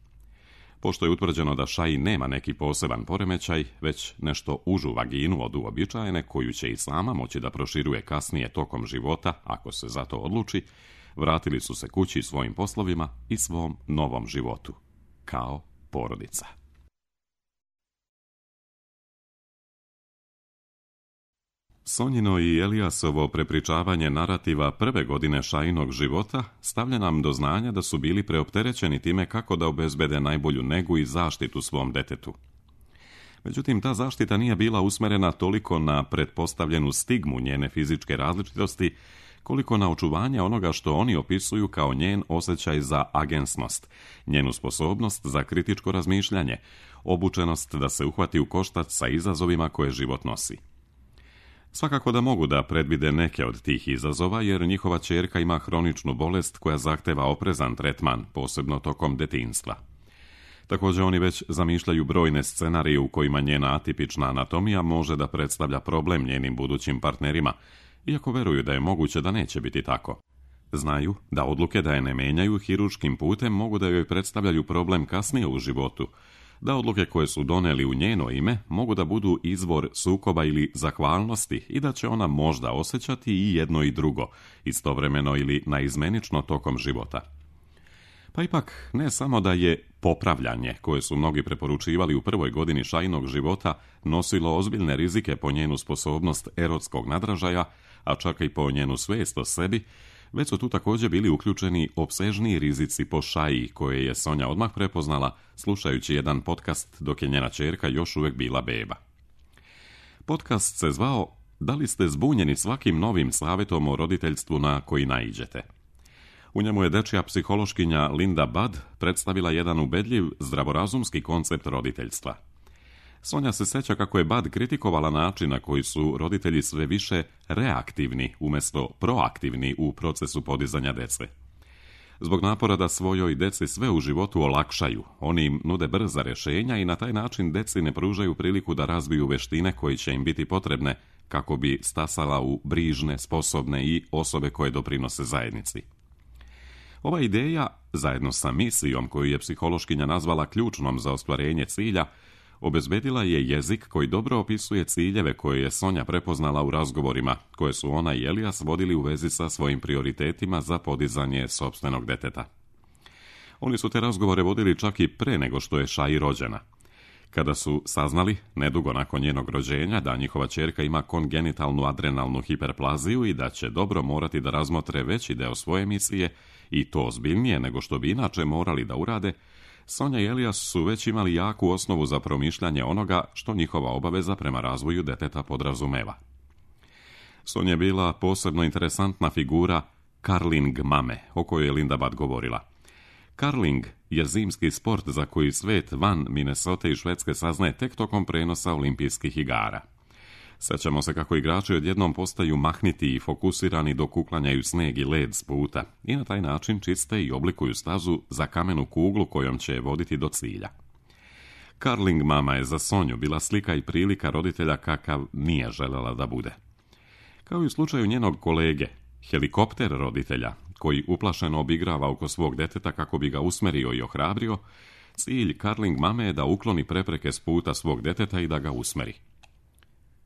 S1: Pošto je utvrđeno da Shai nema neki poseban poremećaj, već nešto užu vaginu od uobičajene, koju će i sama moći da proširuje kasnije tokom života, ako se za to odluči, vratili su se kući svojim poslovima i svom novom životu, kao porodica. Sonjino i Eliasovo prepričavanje narativa prve godine Shainog života stavlja nam do znanja da su bili preopterećeni time kako da obezbede najbolju negu i zaštitu svom detetu. Međutim, ta zaštita nije bila usmerena toliko na pretpostavljenu stigmu njene fizičke različitosti, koliko na očuvanje onoga što oni opisuju kao njen osjećaj za agensnost, njenu sposobnost za kritičko razmišljanje, obučenost da se uhvati u koštac sa izazovima koje život nosi. Svakako da mogu da predvide neke od tih izazova, jer njihova ćerka ima hroničnu bolest koja zahteva oprezan tretman, posebno tokom detinjstva. Također oni već zamišljaju brojne scenarije u kojima njena atipična anatomija može da predstavlja problem njenim budućim partnerima, iako veruju da je moguće da neće biti tako. Znaju da odluke da je ne menjaju hirurškim putem mogu da joj predstavljaju problem kasnije u životu, da odluke koje su doneli u njeno ime mogu da budu izvor sukoba ili zahvalnosti i da će ona možda osjećati i jedno i drugo, istovremeno ili naizmenično tokom života. Pa ipak, ne samo da je popravljanje, koje su mnogi preporučivali u prvoj godini Shainog života, nosilo ozbiljne rizike po njenu sposobnost erotskog nadražaja, a čak i po njenu svijest o sebi, već su tu također bili uključeni opsežniji rizici po Shai, koje je Sonja odmah prepoznala slušajući jedan podcast dok je njena ćerka još uvijek bila beba. Podcast se zvao Da li ste zbunjeni svakim novim savjetom o roditeljstvu na koji naiđete? U njemu je dečja psihološkinja Linda Budd predstavila jedan ubedljiv, zdravorazumski koncept roditeljstva. Sonja se sjeća kako je Budd kritikovala način na koji su roditelji sve više reaktivni umjesto proaktivni u procesu podizanja dece. Zbog napora da svojoj deci sve u životu olakšaju, oni im nude brza rješenja i na taj način deci ne pružaju priliku da razviju veštine koje će im biti potrebne kako bi stasala u brižne, sposobne i osobe koje doprinose zajednici. Ova ideja, zajedno sa misijom koju je psihološkinja nazvala ključnom za ostvarenje cilja, obezbedila je jezik koji dobro opisuje ciljeve koje je Sonja prepoznala u razgovorima koje su ona i Elias vodili u vezi sa svojim prioritetima za podizanje sopstvenog deteta. Oni su te razgovore vodili čak i pre nego što je Shai rođena. Kada su saznali, nedugo nakon njenog rođenja, da njihova ćerka ima kongenitalnu adrenalnu hiperplaziju i da će dobro morati da razmotre veći deo svoje misije, i to ozbiljnije nego što bi inače morali da urade, Sonja i Elijas su već imali jaku osnovu za promišljanje onoga što njihova obaveza prema razvoju deteta podrazumeva. Sonja je bila posebno interesantna figura karling mame, o kojoj je Linda Budd govorila. Karling je zimski sport za koji svet van Minnesota i Švedske saznaje tek tokom prenosa olimpijskih igara. Sjećamo se kako igrači odjednom postaju mahniti i fokusirani dok uklanjaju sneg i led s puta i na taj način čiste i oblikuju stazu za kamenu kuglu kojom će je voditi do cilja. Karling mama je za Sonju bila slika i prilika roditelja kakav nije željela da bude. Kao i u slučaju njenog kolege, helikopter roditelja, koji uplašeno obigrava oko svog deteta kako bi ga usmerio i ohrabrio, cilj karling mame je da ukloni prepreke s puta svog deteta i da ga usmeri.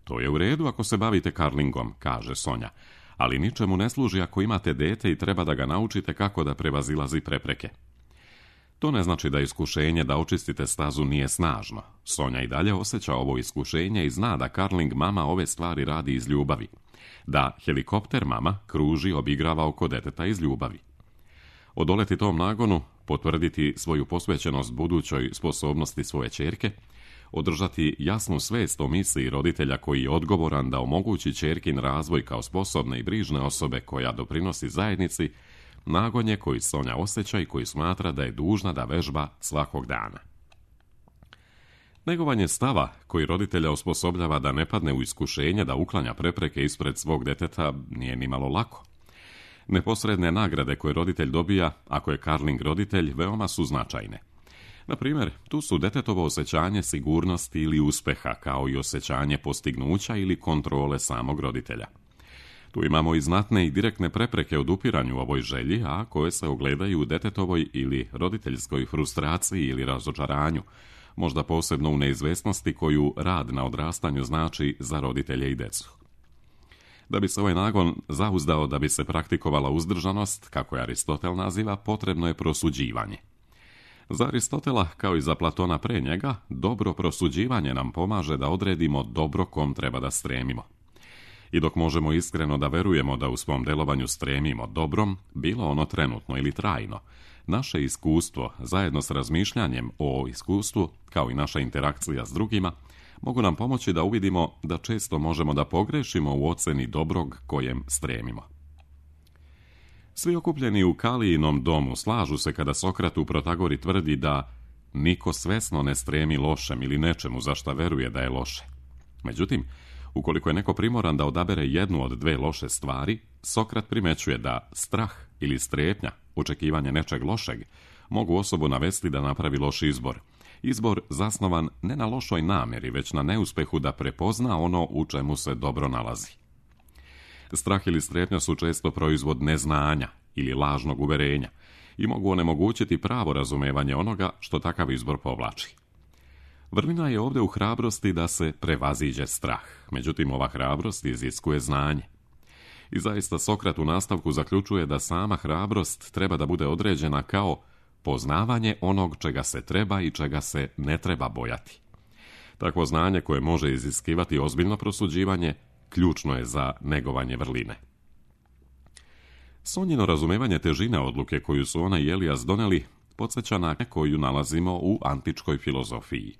S1: To je u redu ako se bavite karlingom, kaže Sonja, ali ničemu ne služi ako imate dete i treba da ga naučite kako da prevazilazi prepreke. To ne znači da iskušenje da očistite stazu nije snažno. Sonja i dalje osjeća ovo iskušenje i zna da karling mama ove stvari radi iz ljubavi. Da helikopter mama kruži obigrava oko deteta iz ljubavi. Odoleti tom nagonu, potvrditi svoju posvećenost budućoj sposobnosti svoje ćerke, održati jasnu svest o misiji roditelja koji je odgovoran da omogući ćerkin razvoj kao sposobne i brižne osobe koja doprinosi zajednici, nagon je koji Sonja osjeća i koji smatra da je dužna da vežba svakog dana. Negovanje stava koji roditelja osposobljava da ne padne u iskušenje da uklanja prepreke ispred svog deteta nije nimalo lako. Neposredne nagrade koje roditelj dobija, ako je karling roditelj, veoma su značajne. Na primjer, tu su detetovo osjećanje sigurnosti ili uspeha, kao i osjećanje postignuća ili kontrole samog roditelja. Tu imamo i znatne i direktne prepreke odupiranju ovoj želji, a koje se ogledaju u detetovoj ili roditeljskoj frustraciji ili razočaranju, možda posebno u neizvesnosti koju rad na odrastanju znači za roditelje i decu. Da bi se ovaj nagon zauzdao, da bi se praktikovala uzdržanost, kako je Aristotel naziva, potrebno je prosuđivanje. Za Aristotela, kao i za Platona pre njega, dobro prosuđivanje nam pomaže da odredimo dobro kom treba da stremimo. I dok možemo iskreno da verujemo da u svom delovanju stremimo dobrom, bilo ono trenutno ili trajno, naše iskustvo, zajedno s razmišljanjem o iskustvu, kao i naša interakcija s drugima, mogu nam pomoći da uvidimo da često možemo da pogrešimo u oceni dobrog kojem stremimo. Svi okupljeni u Kalijinom domu slažu se kada Sokrat u Protagori tvrdi da niko svesno ne stremi lošem ili nečemu za šta veruje da je loše. Međutim, ukoliko je neko primoran da odabere jednu od dve loše stvari, Sokrat primećuje da strah ili strepnja, očekivanje nečeg lošeg, mogu osobu navesti da napravi loš izbor. Izbor zasnovan ne na lošoj namjeri, već na neuspehu da prepozna ono u čemu se dobro nalazi. Strah ili strepnja su često proizvod neznanja ili lažnog uverenja i mogu onemogućiti pravo razumevanje onoga što takav izbor povlači. Vrlina je ovdje u hrabrosti da se prevaziđe strah, međutim ova hrabrost iziskuje znanje. I zaista Sokrat u nastavku zaključuje da sama hrabrost treba da bude određena kao poznavanje onog čega se treba i čega se ne treba bojati. Takvo znanje koje može iziskivati ozbiljno prosuđivanje ključno je za negovanje vrline. Sonjino razumevanje težine odluke koju su ona i Elijas doneli podsjeća na koju nalazimo u antičkoj filozofiji.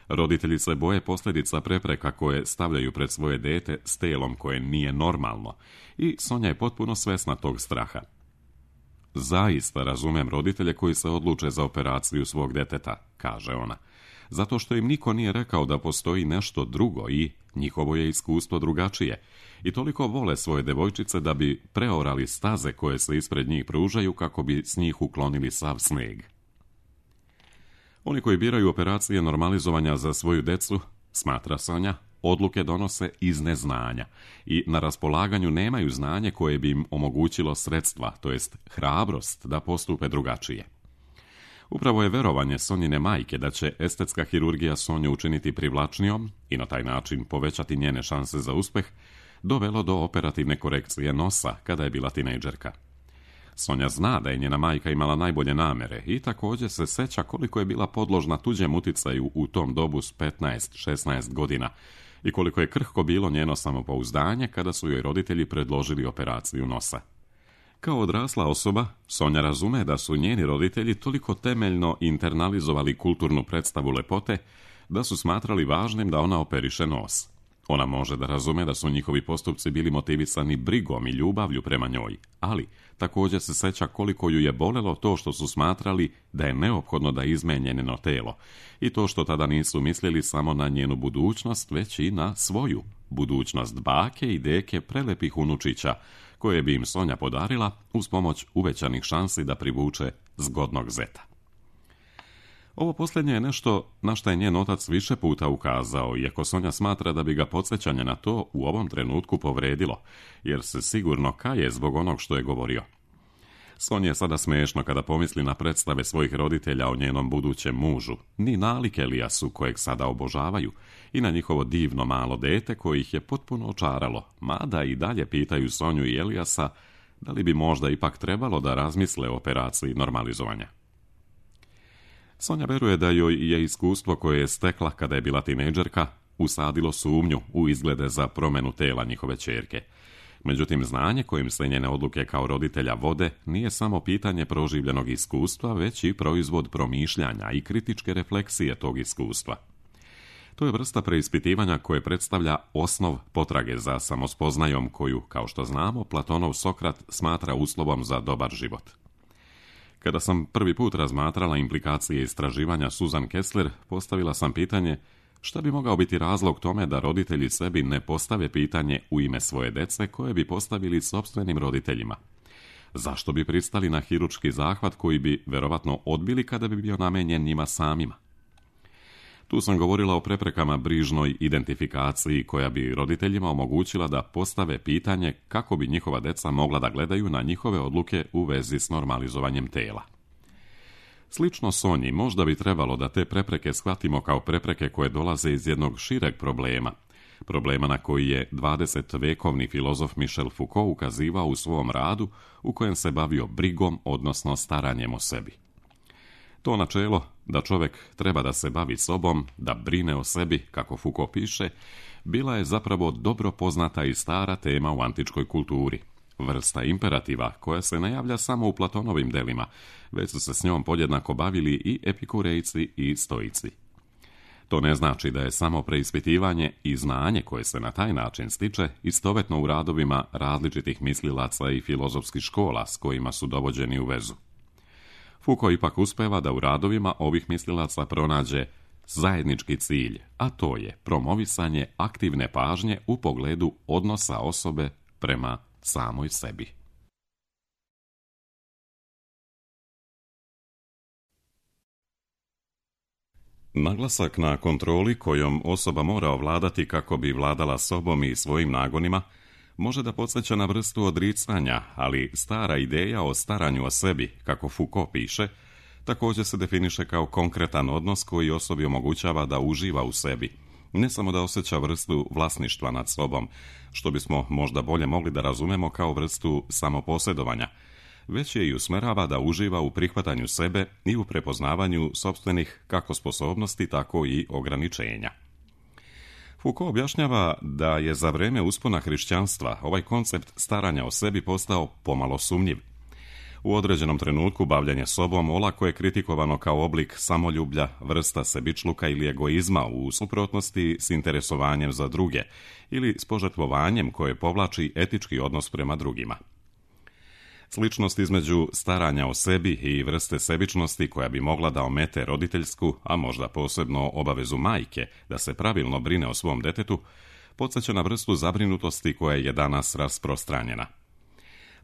S1: Roditelji se boje posljedica prepreka koje stavljaju pred svoje dete s telom koje nije normalno i Sonja je potpuno svesna tog straha. Zaista razumem roditelje koji se odluče za operaciju svog deteta, kaže ona, zato što im niko nije rekao da postoji nešto drugo i njihovo je iskustvo drugačije i toliko vole svoje devojčice da bi preorali staze koje se ispred njih pružaju kako bi s njih uklonili sav sneg. Oni koji biraju operacije normalizovanja za svoju decu, smatra Sonja, odluke donose iz neznanja i na raspolaganju nemaju znanje koje bi im omogućilo sredstva, to jest hrabrost da postupe drugačije. Upravo je verovanje Sonjine majke da će estetska hirurgija Sonju učiniti privlačnijom i na taj način povećati njene šanse za uspeh, dovelo do operativne korekcije nosa kada je bila tinejdžerka. Sonja zna da je njena majka imala najbolje namere i također se seća koliko je bila podložna tuđem uticaju u tom dobu s 15-16 godina i koliko je krhko bilo njeno samopouzdanje kada su joj roditelji predložili operaciju nosa. Kao odrasla osoba, Sonja razume da su njeni roditelji toliko temeljno internalizovali kulturnu predstavu lepote da su smatrali važnim da ona operiše nos. Ona može da razume da su njihovi postupci bili motivisani brigom i ljubavlju prema njoj, ali također se seća koliko ju je bolelo to što su smatrali da je neophodno da izmeni njeno telo i to što tada nisu mislili samo na njenu budućnost, već i na svoju budućnost bake i deke prelepih unučića, koje bi im Sonja podarila uz pomoć uvećanih šansi da privuče zgodnog zeta. Ovo posljednje je nešto na što je njen otac više puta ukazao, iako Sonja smatra da bi ga podsjećanje na to u ovom trenutku povredilo, jer se sigurno kaje zbog onog što je govorio. Sonji je sada smiješno kada pomisli na predstave svojih roditelja o njenom budućem mužu, ni nalik Elijasu kojeg sada obožavaju, i na njihovo divno malo dete koje ih je potpuno očaralo, mada i dalje pitaju Sonju i Elijasa da li bi možda ipak trebalo da razmisle o operaciji normalizovanja. Sonja veruje da joj je iskustvo koje je stekla kada je bila tinejdžerka usadilo sumnju u izglede za promjenu tela njihove ćerke. Međutim, znanje kojim se njene odluke kao roditelja vode nije samo pitanje proživljenog iskustva, već i proizvod promišljanja i kritičke refleksije tog iskustva. To je vrsta preispitivanja koje predstavlja osnov potrage za samospoznajom koju, kao što znamo, Platonov Sokrat smatra uslovom za dobar život. Kada sam prvi put razmatrala implikacije istraživanja Susan Kessler, postavila sam pitanje šta bi mogao biti razlog tome da roditelji sebi ne postave pitanje u ime svoje dece koje bi postavili sopstvenim roditeljima. Zašto bi pristali na hirurški zahvat koji bi verovatno odbili kada bi bio namenjen njima samima? Tu sam govorila o preprekama brižnoj identifikaciji koja bi roditeljima omogućila da postave pitanje kako bi njihova deca mogla da gledaju na njihove odluke u vezi s normalizovanjem tela. Slično Sonji, možda bi trebalo da te prepreke shvatimo kao prepreke koje dolaze iz jednog šireg problema na koji je 20-vekovni filozof Michel Foucault ukazivao u svom radu u kojem se bavio brigom, odnosno staranjem o sebi. To načelo da čovjek treba da se bavi sobom, da brine o sebi, kako Foucault piše, bila je zapravo dobro poznata i stara tema u antičkoj kulturi. Vrsta imperativa koja se ne javlja samo u Platonovim delima, već su se s njom podjednako bavili i epikurejci i stoici. To ne znači da je samo preispitivanje i znanje koje se na taj način stiče istovetno u radovima različitih mislilaca i filozofskih škola s kojima su dovođeni u vezu. Foucault ipak uspeva da u radovima ovih mislilaca pronađe zajednički cilj, a to je promovisanje aktivne pažnje u pogledu odnosa osobe prema samoj sebi. Naglasak na kontroli kojom osoba mora ovladati kako bi vladala sobom i svojim nagonima može da podsjeća na vrstu odricanja, ali stara ideja o staranju o sebi, kako Foucault piše, također se definiše kao konkretan odnos koji osobi omogućava da uživa u sebi, ne samo da osjeća vrstu vlasništva nad sobom, što bismo možda bolje mogli da razumemo kao vrstu samoposjedovanja, već je i usmerava da uživa u prihvatanju sebe i u prepoznavanju sopstvenih kako sposobnosti, tako i ograničenja. Foucault objašnjava da je za vrijeme uspona hrišćanstva ovaj koncept staranja o sebi postao pomalo sumnjiv. U određenom trenutku bavljenje sobom olako je kritikovano kao oblik samoljublja, vrsta sebičluka ili egoizma u suprotnosti s interesovanjem za druge ili s požrtvovanjem koje povlači etički odnos prema drugima. Sličnost između staranja o sebi i vrste sebičnosti koja bi mogla da omete roditeljsku, a možda posebno obavezu majke da se pravilno brine o svom detetu, podsjeća na vrstu zabrinutosti koja je danas rasprostranjena.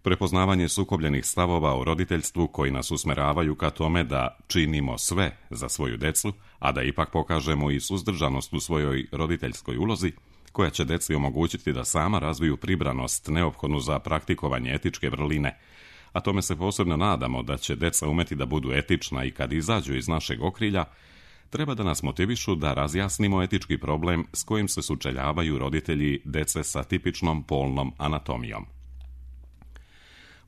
S1: Prepoznavanje sukobljenih stavova o roditeljstvu koji nas usmeravaju ka tome da činimo sve za svoju decu, a da ipak pokažemo i suzdržanost u svojoj roditeljskoj ulozi, koja će deci omogućiti da sama razviju pribranost neophodnu za praktikovanje etičke vrline, a tome se posebno nadamo da će deca umeti da budu etična i kad izađu iz našeg okrilja, treba da nas motivišu da razjasnimo etički problem s kojim se sučeljavaju roditelji dece sa tipičnom polnom anatomijom.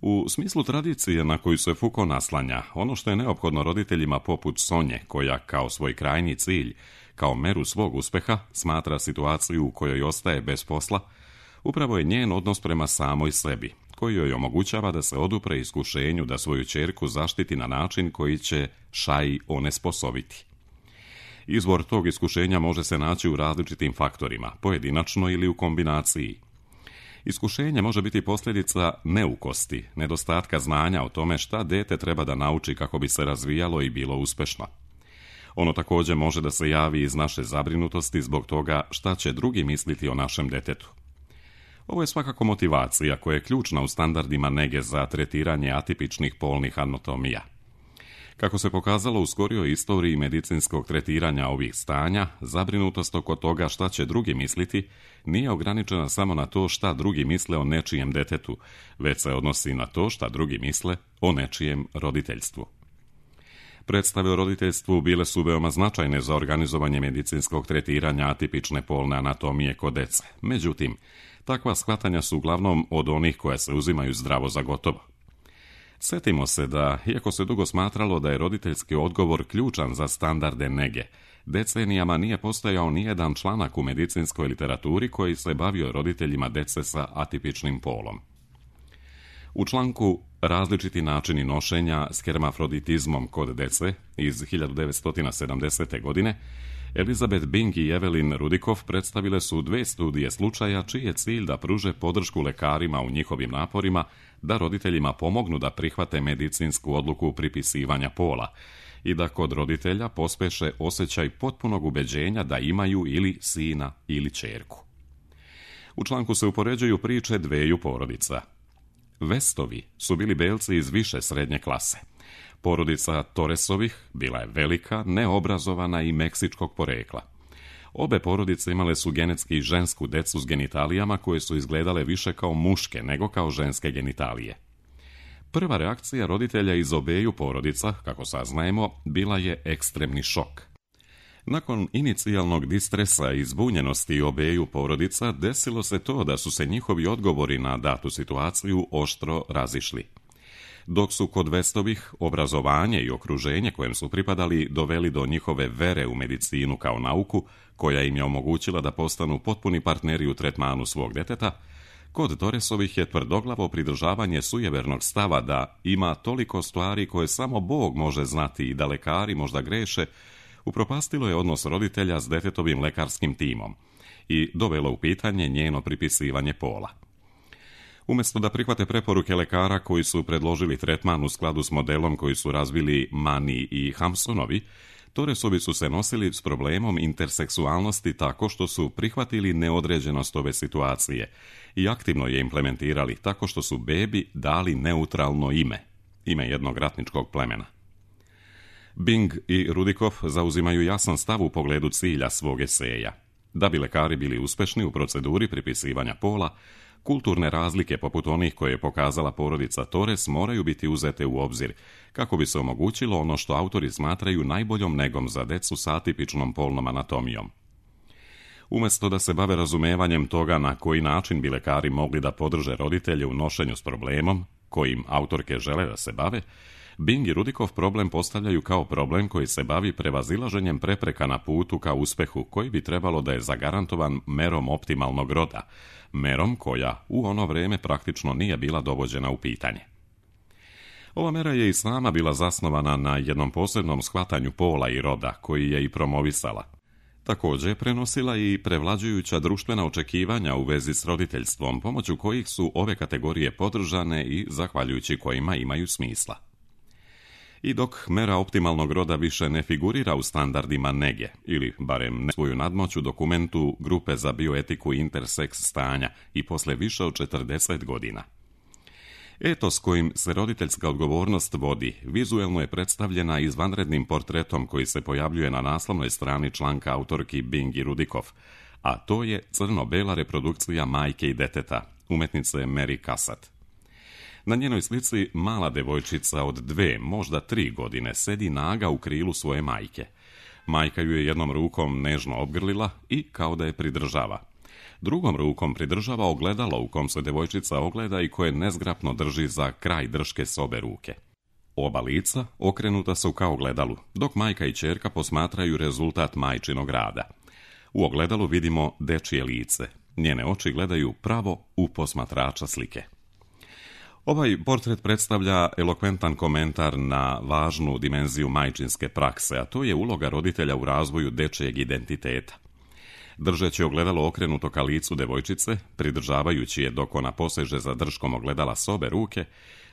S1: U smislu tradicije na koju se Foucault naslanja, ono što je neophodno roditeljima poput Sonje, koja kao svoj krajnji cilj, kao meru svog uspeha, smatra situaciju u kojoj ostaje bez posla, upravo je njen odnos prema samoj sebi, koji joj omogućava da se odupre iskušenju da svoju ćerku zaštiti na način koji će Shai onesposobiti. Izvor tog iskušenja može se naći u različitim faktorima, pojedinačno ili u kombinaciji. Iskušenje može biti posljedica neukosti, nedostatka znanja o tome šta dete treba da nauči kako bi se razvijalo i bilo uspešno. Ono također može da se javi iz naše zabrinutosti zbog toga šta će drugi misliti o našem detetu. Ovo je svakako motivacija koja je ključna u standardima nege za tretiranje atipičnih polnih anatomija. Kako se pokazalo u skorijoj istoriji medicinskog tretiranja ovih stanja, zabrinutost oko toga šta će drugi misliti nije ograničena samo na to šta drugi misle o nečijem detetu, već se odnosi na to šta drugi misle o nečijem roditeljstvu. Predstave o roditeljstvu bile su veoma značajne za organizovanje medicinskog tretiranja atipične polne anatomije kod dece. Međutim, takva shvatanja su uglavnom od onih koje se uzimaju zdravo za gotovo. Sjetimo se da, iako se dugo smatralo da je roditeljski odgovor ključan za standarde nege, decenijama nije postojao nijedan članak u medicinskoj literaturi koji se bavio roditeljima dece sa atipičnim polom. U članku Različiti načini nošenja s hermafroditizmom kod dece iz 1970. godine, Elizabeth Bing i Evelyn Rudikoff predstavile su 2 studije slučaja čiji je cilj da pruže podršku lekarima u njihovim naporima da roditeljima pomognu da prihvate medicinsku odluku pripisivanja pola i da kod roditelja pospeše osjećaj potpunog ubeđenja da imaju ili sina ili ćerku. U članku se upoređuju priče 2 porodica. Westovi su bili belci iz više srednje klase. Porodica Torresovih bila je velika, neobrazovana i meksičkog porekla. Obe porodice imale su genetski žensku decu s genitalijama koje su izgledale više kao muške nego kao ženske genitalije. Prva reakcija roditelja iz obeju porodica, kako saznajemo, bila je ekstremni šok. Nakon inicijalnog distresa i zbunjenosti obeju porodica, desilo se to da su se njihovi odgovori na datu situaciju oštro razišli. Dok su kod Westovih obrazovanje i okruženje kojem su pripadali doveli do njihove vere u medicinu kao nauku, koja im je omogućila da postanu potpuni partneri u tretmanu svog deteta, kod Torresovih je tvrdoglavo pridržavanje sujevernog stava da ima toliko stvari koje samo Bog može znati i da lekari možda greše, upropastilo je odnos roditelja s detetovim lekarskim timom i dovelo u pitanje njeno pripisivanje pola. Umjesto da prihvate preporuke lekara koji su predložili tretman u skladu s modelom koji su razvili Mani i Hampsonovi, Torresovi su se nosili s problemom interseksualnosti tako što su prihvatili neodređenost ove situacije i aktivno je implementirali tako što su bebi dali neutralno ime jednog ratničkog plemena. Bing i Rudikoff zauzimaju jasan stav u pogledu cilja svog eseja. Da bi lekari bili uspešni u proceduri pripisivanja pola, kulturne razlike poput onih koje je pokazala porodica Torres moraju biti uzete u obzir, kako bi se omogućilo ono što autori smatraju najboljom negom za decu s atipičnom polnom anatomijom. Umjesto da se bave razumevanjem toga na koji način bi lekari mogli da podrže roditelje u nošenju s problemom, kojim autorke žele da se bave, Bing i Rudikoff problem postavljaju kao problem koji se bavi prevazilaženjem prepreka na putu ka uspehu, koji bi trebalo da je zagarantovan merom optimalnog roda, merom koja u ono vrijeme praktično nije bila dovođena u pitanje. Ova mera je i sama bila zasnovana na jednom posebnom shvatanju pola i roda, koji je i promovisala. Također je prenosila i prevlađujuća društvena očekivanja u vezi s roditeljstvom, pomoću kojih su ove kategorije podržane i zahvaljujući kojima imaju smisla. I dok mera optimalnog roda više ne figurira u standardima nege, ili barem ne svoju nadmoć u dokumentu Grupe za bioetiku interseks stanja i posle više od 40 godina. Etos kojim se roditeljska odgovornost vodi vizuelno je predstavljena izvanrednim portretom koji se pojavljuje na naslovnoj strani članka autorki Bing i Rudikoff, a to je crno-bela reprodukcija majke i deteta, umetnice Mary Cassatt. Na njenoj slici mala devojčica od 2, možda 3 godine sedi naga u krilu svoje majke. Majka ju je jednom rukom nežno obgrlila i kao da je pridržava. Drugom rukom pridržava ogledalo u kom se devojčica ogleda i koje nezgrapno drži za kraj drške s obe ruke. Oba lica okrenuta su ka ogledalu, dok majka i ćerka posmatraju rezultat majčinog rada. U ogledalu vidimo dečije lice. Njene oči gledaju pravo u posmatrača slike. Ovaj portret predstavlja elokventan komentar na važnu dimenziju majčinske prakse, a to je uloga roditelja u razvoju dečijeg identiteta. Držeći ogledalo okrenuto ka licu devojčice, pridržavajući je dok ona poseže za držkom ogledala s obe ruke,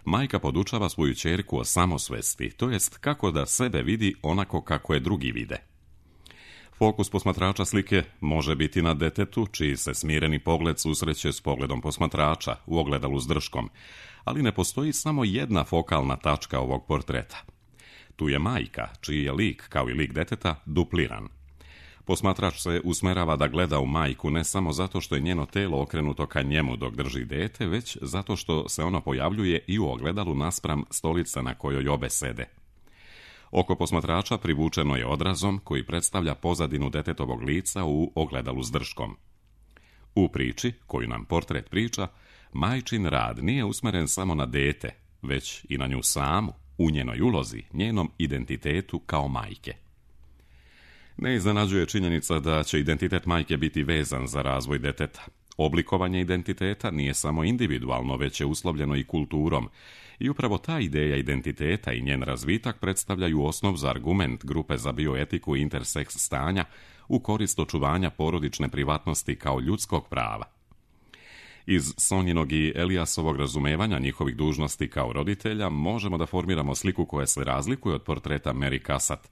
S1: majka podučava svoju ćerku o samosvesti, to jest kako da sebe vidi onako kako je drugi vide. Fokus posmatrača slike može biti na detetu, čiji se smireni pogled susreće s pogledom posmatrača u ogledalu s držkom, ali ne postoji samo jedna fokalna tačka ovog portreta. Tu je majka, čiji je lik, kao i lik deteta, dupliran. Posmatrač se usmerava da gleda u majku ne samo zato što je njeno telo okrenuto ka njemu dok drži dete, već zato što se ono pojavljuje i u ogledalu naspram stolice na kojoj obe sede. Oko posmatrača privučeno je odrazom koji predstavlja pozadinu detetovog lica u ogledalu s držkom. U priči, koju nam portret priča, majčin rad nije usmeren samo na dete, već i na nju samu, u njenoj ulozi, njenom identitetu kao majke. Ne iznenađuje činjenica da će identitet majke biti vezan za razvoj deteta. Oblikovanje identiteta nije samo individualno, već je uslovljeno i kulturom, i upravo ta ideja identiteta i njen razvitak predstavljaju osnov za argument grupe za bioetiku i interseks stanja u korist očuvanja porodične privatnosti kao ljudskog prava. Iz Sonjinog i Eliasovog razumevanja njihovih dužnosti kao roditelja možemo da formiramo sliku koja se razlikuje od portreta Mary Cassatt,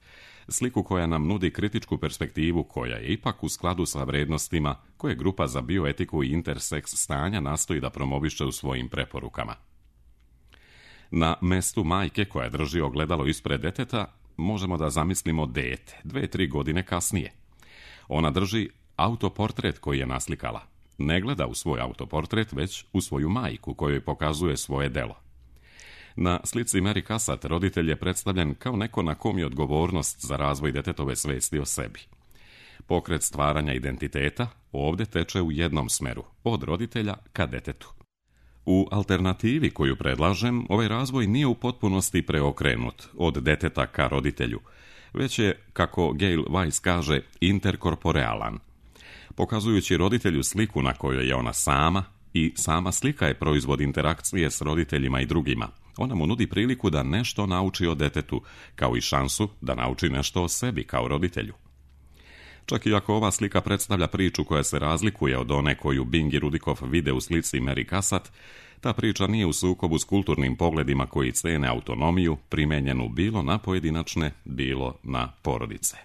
S1: sliku koja nam nudi kritičku perspektivu koja je ipak u skladu sa vrednostima koje grupa za bioetiku i interseks stanja nastoji da promoviše u svojim preporukama. Na mestu majke koja drži ogledalo ispred deteta možemo da zamislimo dete, 2-3 godine kasnije. Ona drži autoportret koji je naslikala. Ne gleda u svoj autoportret, već u svoju majku kojoj pokazuje svoje delo. Na slici Mary Cassatt roditelj je predstavljen kao neko na kom je odgovornost za razvoj detetove svesti o sebi. Pokret stvaranja identiteta ovdje teče u jednom smeru, od roditelja ka detetu. U alternativi koju predlažem, ovaj razvoj nije u potpunosti preokrenut od deteta ka roditelju, već je, kako Gail Weiss kaže, interkorporealan. Pokazujući roditelju sliku na kojoj je ona sama, i sama slika je proizvod interakcije s roditeljima i drugima. Ona mu nudi priliku da nešto nauči o detetu, kao i šansu da nauči nešto o sebi kao roditelju. Čak i ako ova slika predstavlja priču koja se razlikuje od one koju Bing i Rudikoff vide u slici Mary Cassatt, ta priča nije u sukobu s kulturnim pogledima koji cene autonomiju, primenjenu bilo na pojedinačne, bilo na porodice.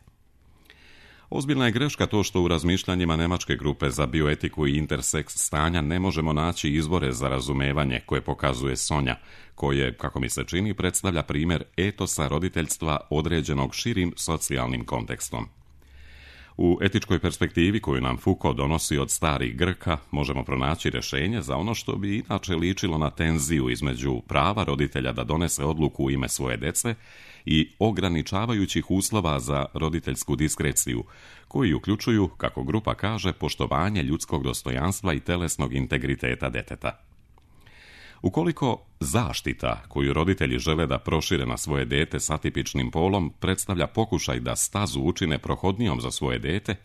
S1: Ozbiljna je greška to što u razmišljanjima nemačke grupe za bioetiku i interseks stanja ne možemo naći izvore za razumevanje koje pokazuje Sonja, koje, kako mi se čini, predstavlja primjer etosa roditeljstva određenog širim socijalnim kontekstom. U etičkoj perspektivi koju nam Foucault donosi od starih Grka možemo pronaći rješenje za ono što bi inače ličilo na tenziju između prava roditelja da donese odluku u ime svoje dece i ograničavajućih uslova za roditeljsku diskreciju, koji uključuju, kako grupa kaže, poštovanje ljudskog dostojanstva i telesnog integriteta deteta. Ukoliko zaštita koju roditelji žele da prošire na svoje dete s atipičnim polom predstavlja pokušaj da stazu učine prohodnijom za svoje dete,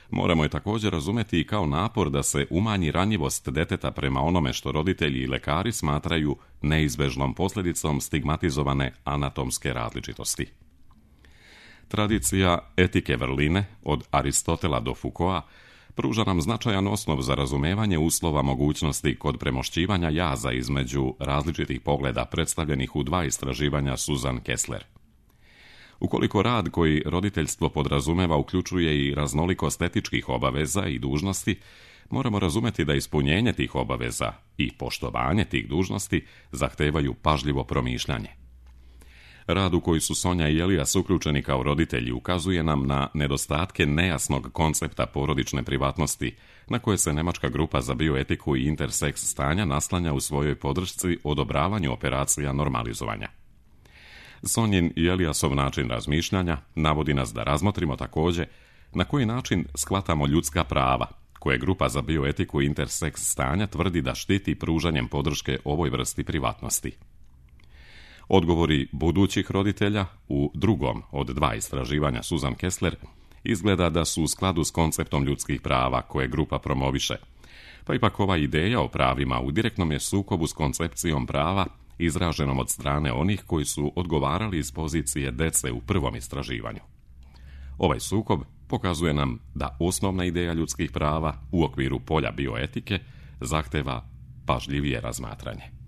S1: moramo je također razumeti i kao napor da se umanji ranjivost deteta prema onome što roditelji i lekari smatraju neizbežnom posljedicom stigmatizovane anatomske različitosti. Tradicija etike vrline, od Aristotela do Foucaulta, pruža nam značajan osnov za razumevanje uslova mogućnosti kod premošćivanja jaza između različitih pogleda predstavljenih u 2 istraživanja Susan Kessler. Ukoliko rad koji roditeljstvo podrazumeva uključuje i raznolikost etičkih obaveza i dužnosti, moramo razumeti da ispunjenje tih obaveza i poštovanje tih dužnosti zahtevaju pažljivo promišljanje. Rad u koji su Sonja i Elias uključeni kao roditelji ukazuje nam na nedostatke nejasnog koncepta porodične privatnosti, na koje se nemačka grupa za bioetiku i interseks stanja naslanja u svojoj podršci odobravanju operacija normalizovanja. Sonjin i Eliasov način razmišljanja navodi nas da razmotrimo također na koji način shvatamo ljudska prava, koje grupa za bioetiku i interseks stanja tvrdi da štiti pružanjem podrške ovoj vrsti privatnosti. Odgovori budućih roditelja u drugom od 2 istraživanja Susan Kessler izgleda da su u skladu s konceptom ljudskih prava koje grupa promoviše, Pa ipak ova ideja o pravima u direktnom je sukobu s koncepcijom prava izraženom od strane onih koji su odgovarali iz pozicije dece u prvom istraživanju. Ovaj sukob pokazuje nam da osnovna ideja ljudskih prava u okviru polja bioetike zahteva pažljivije razmatranje.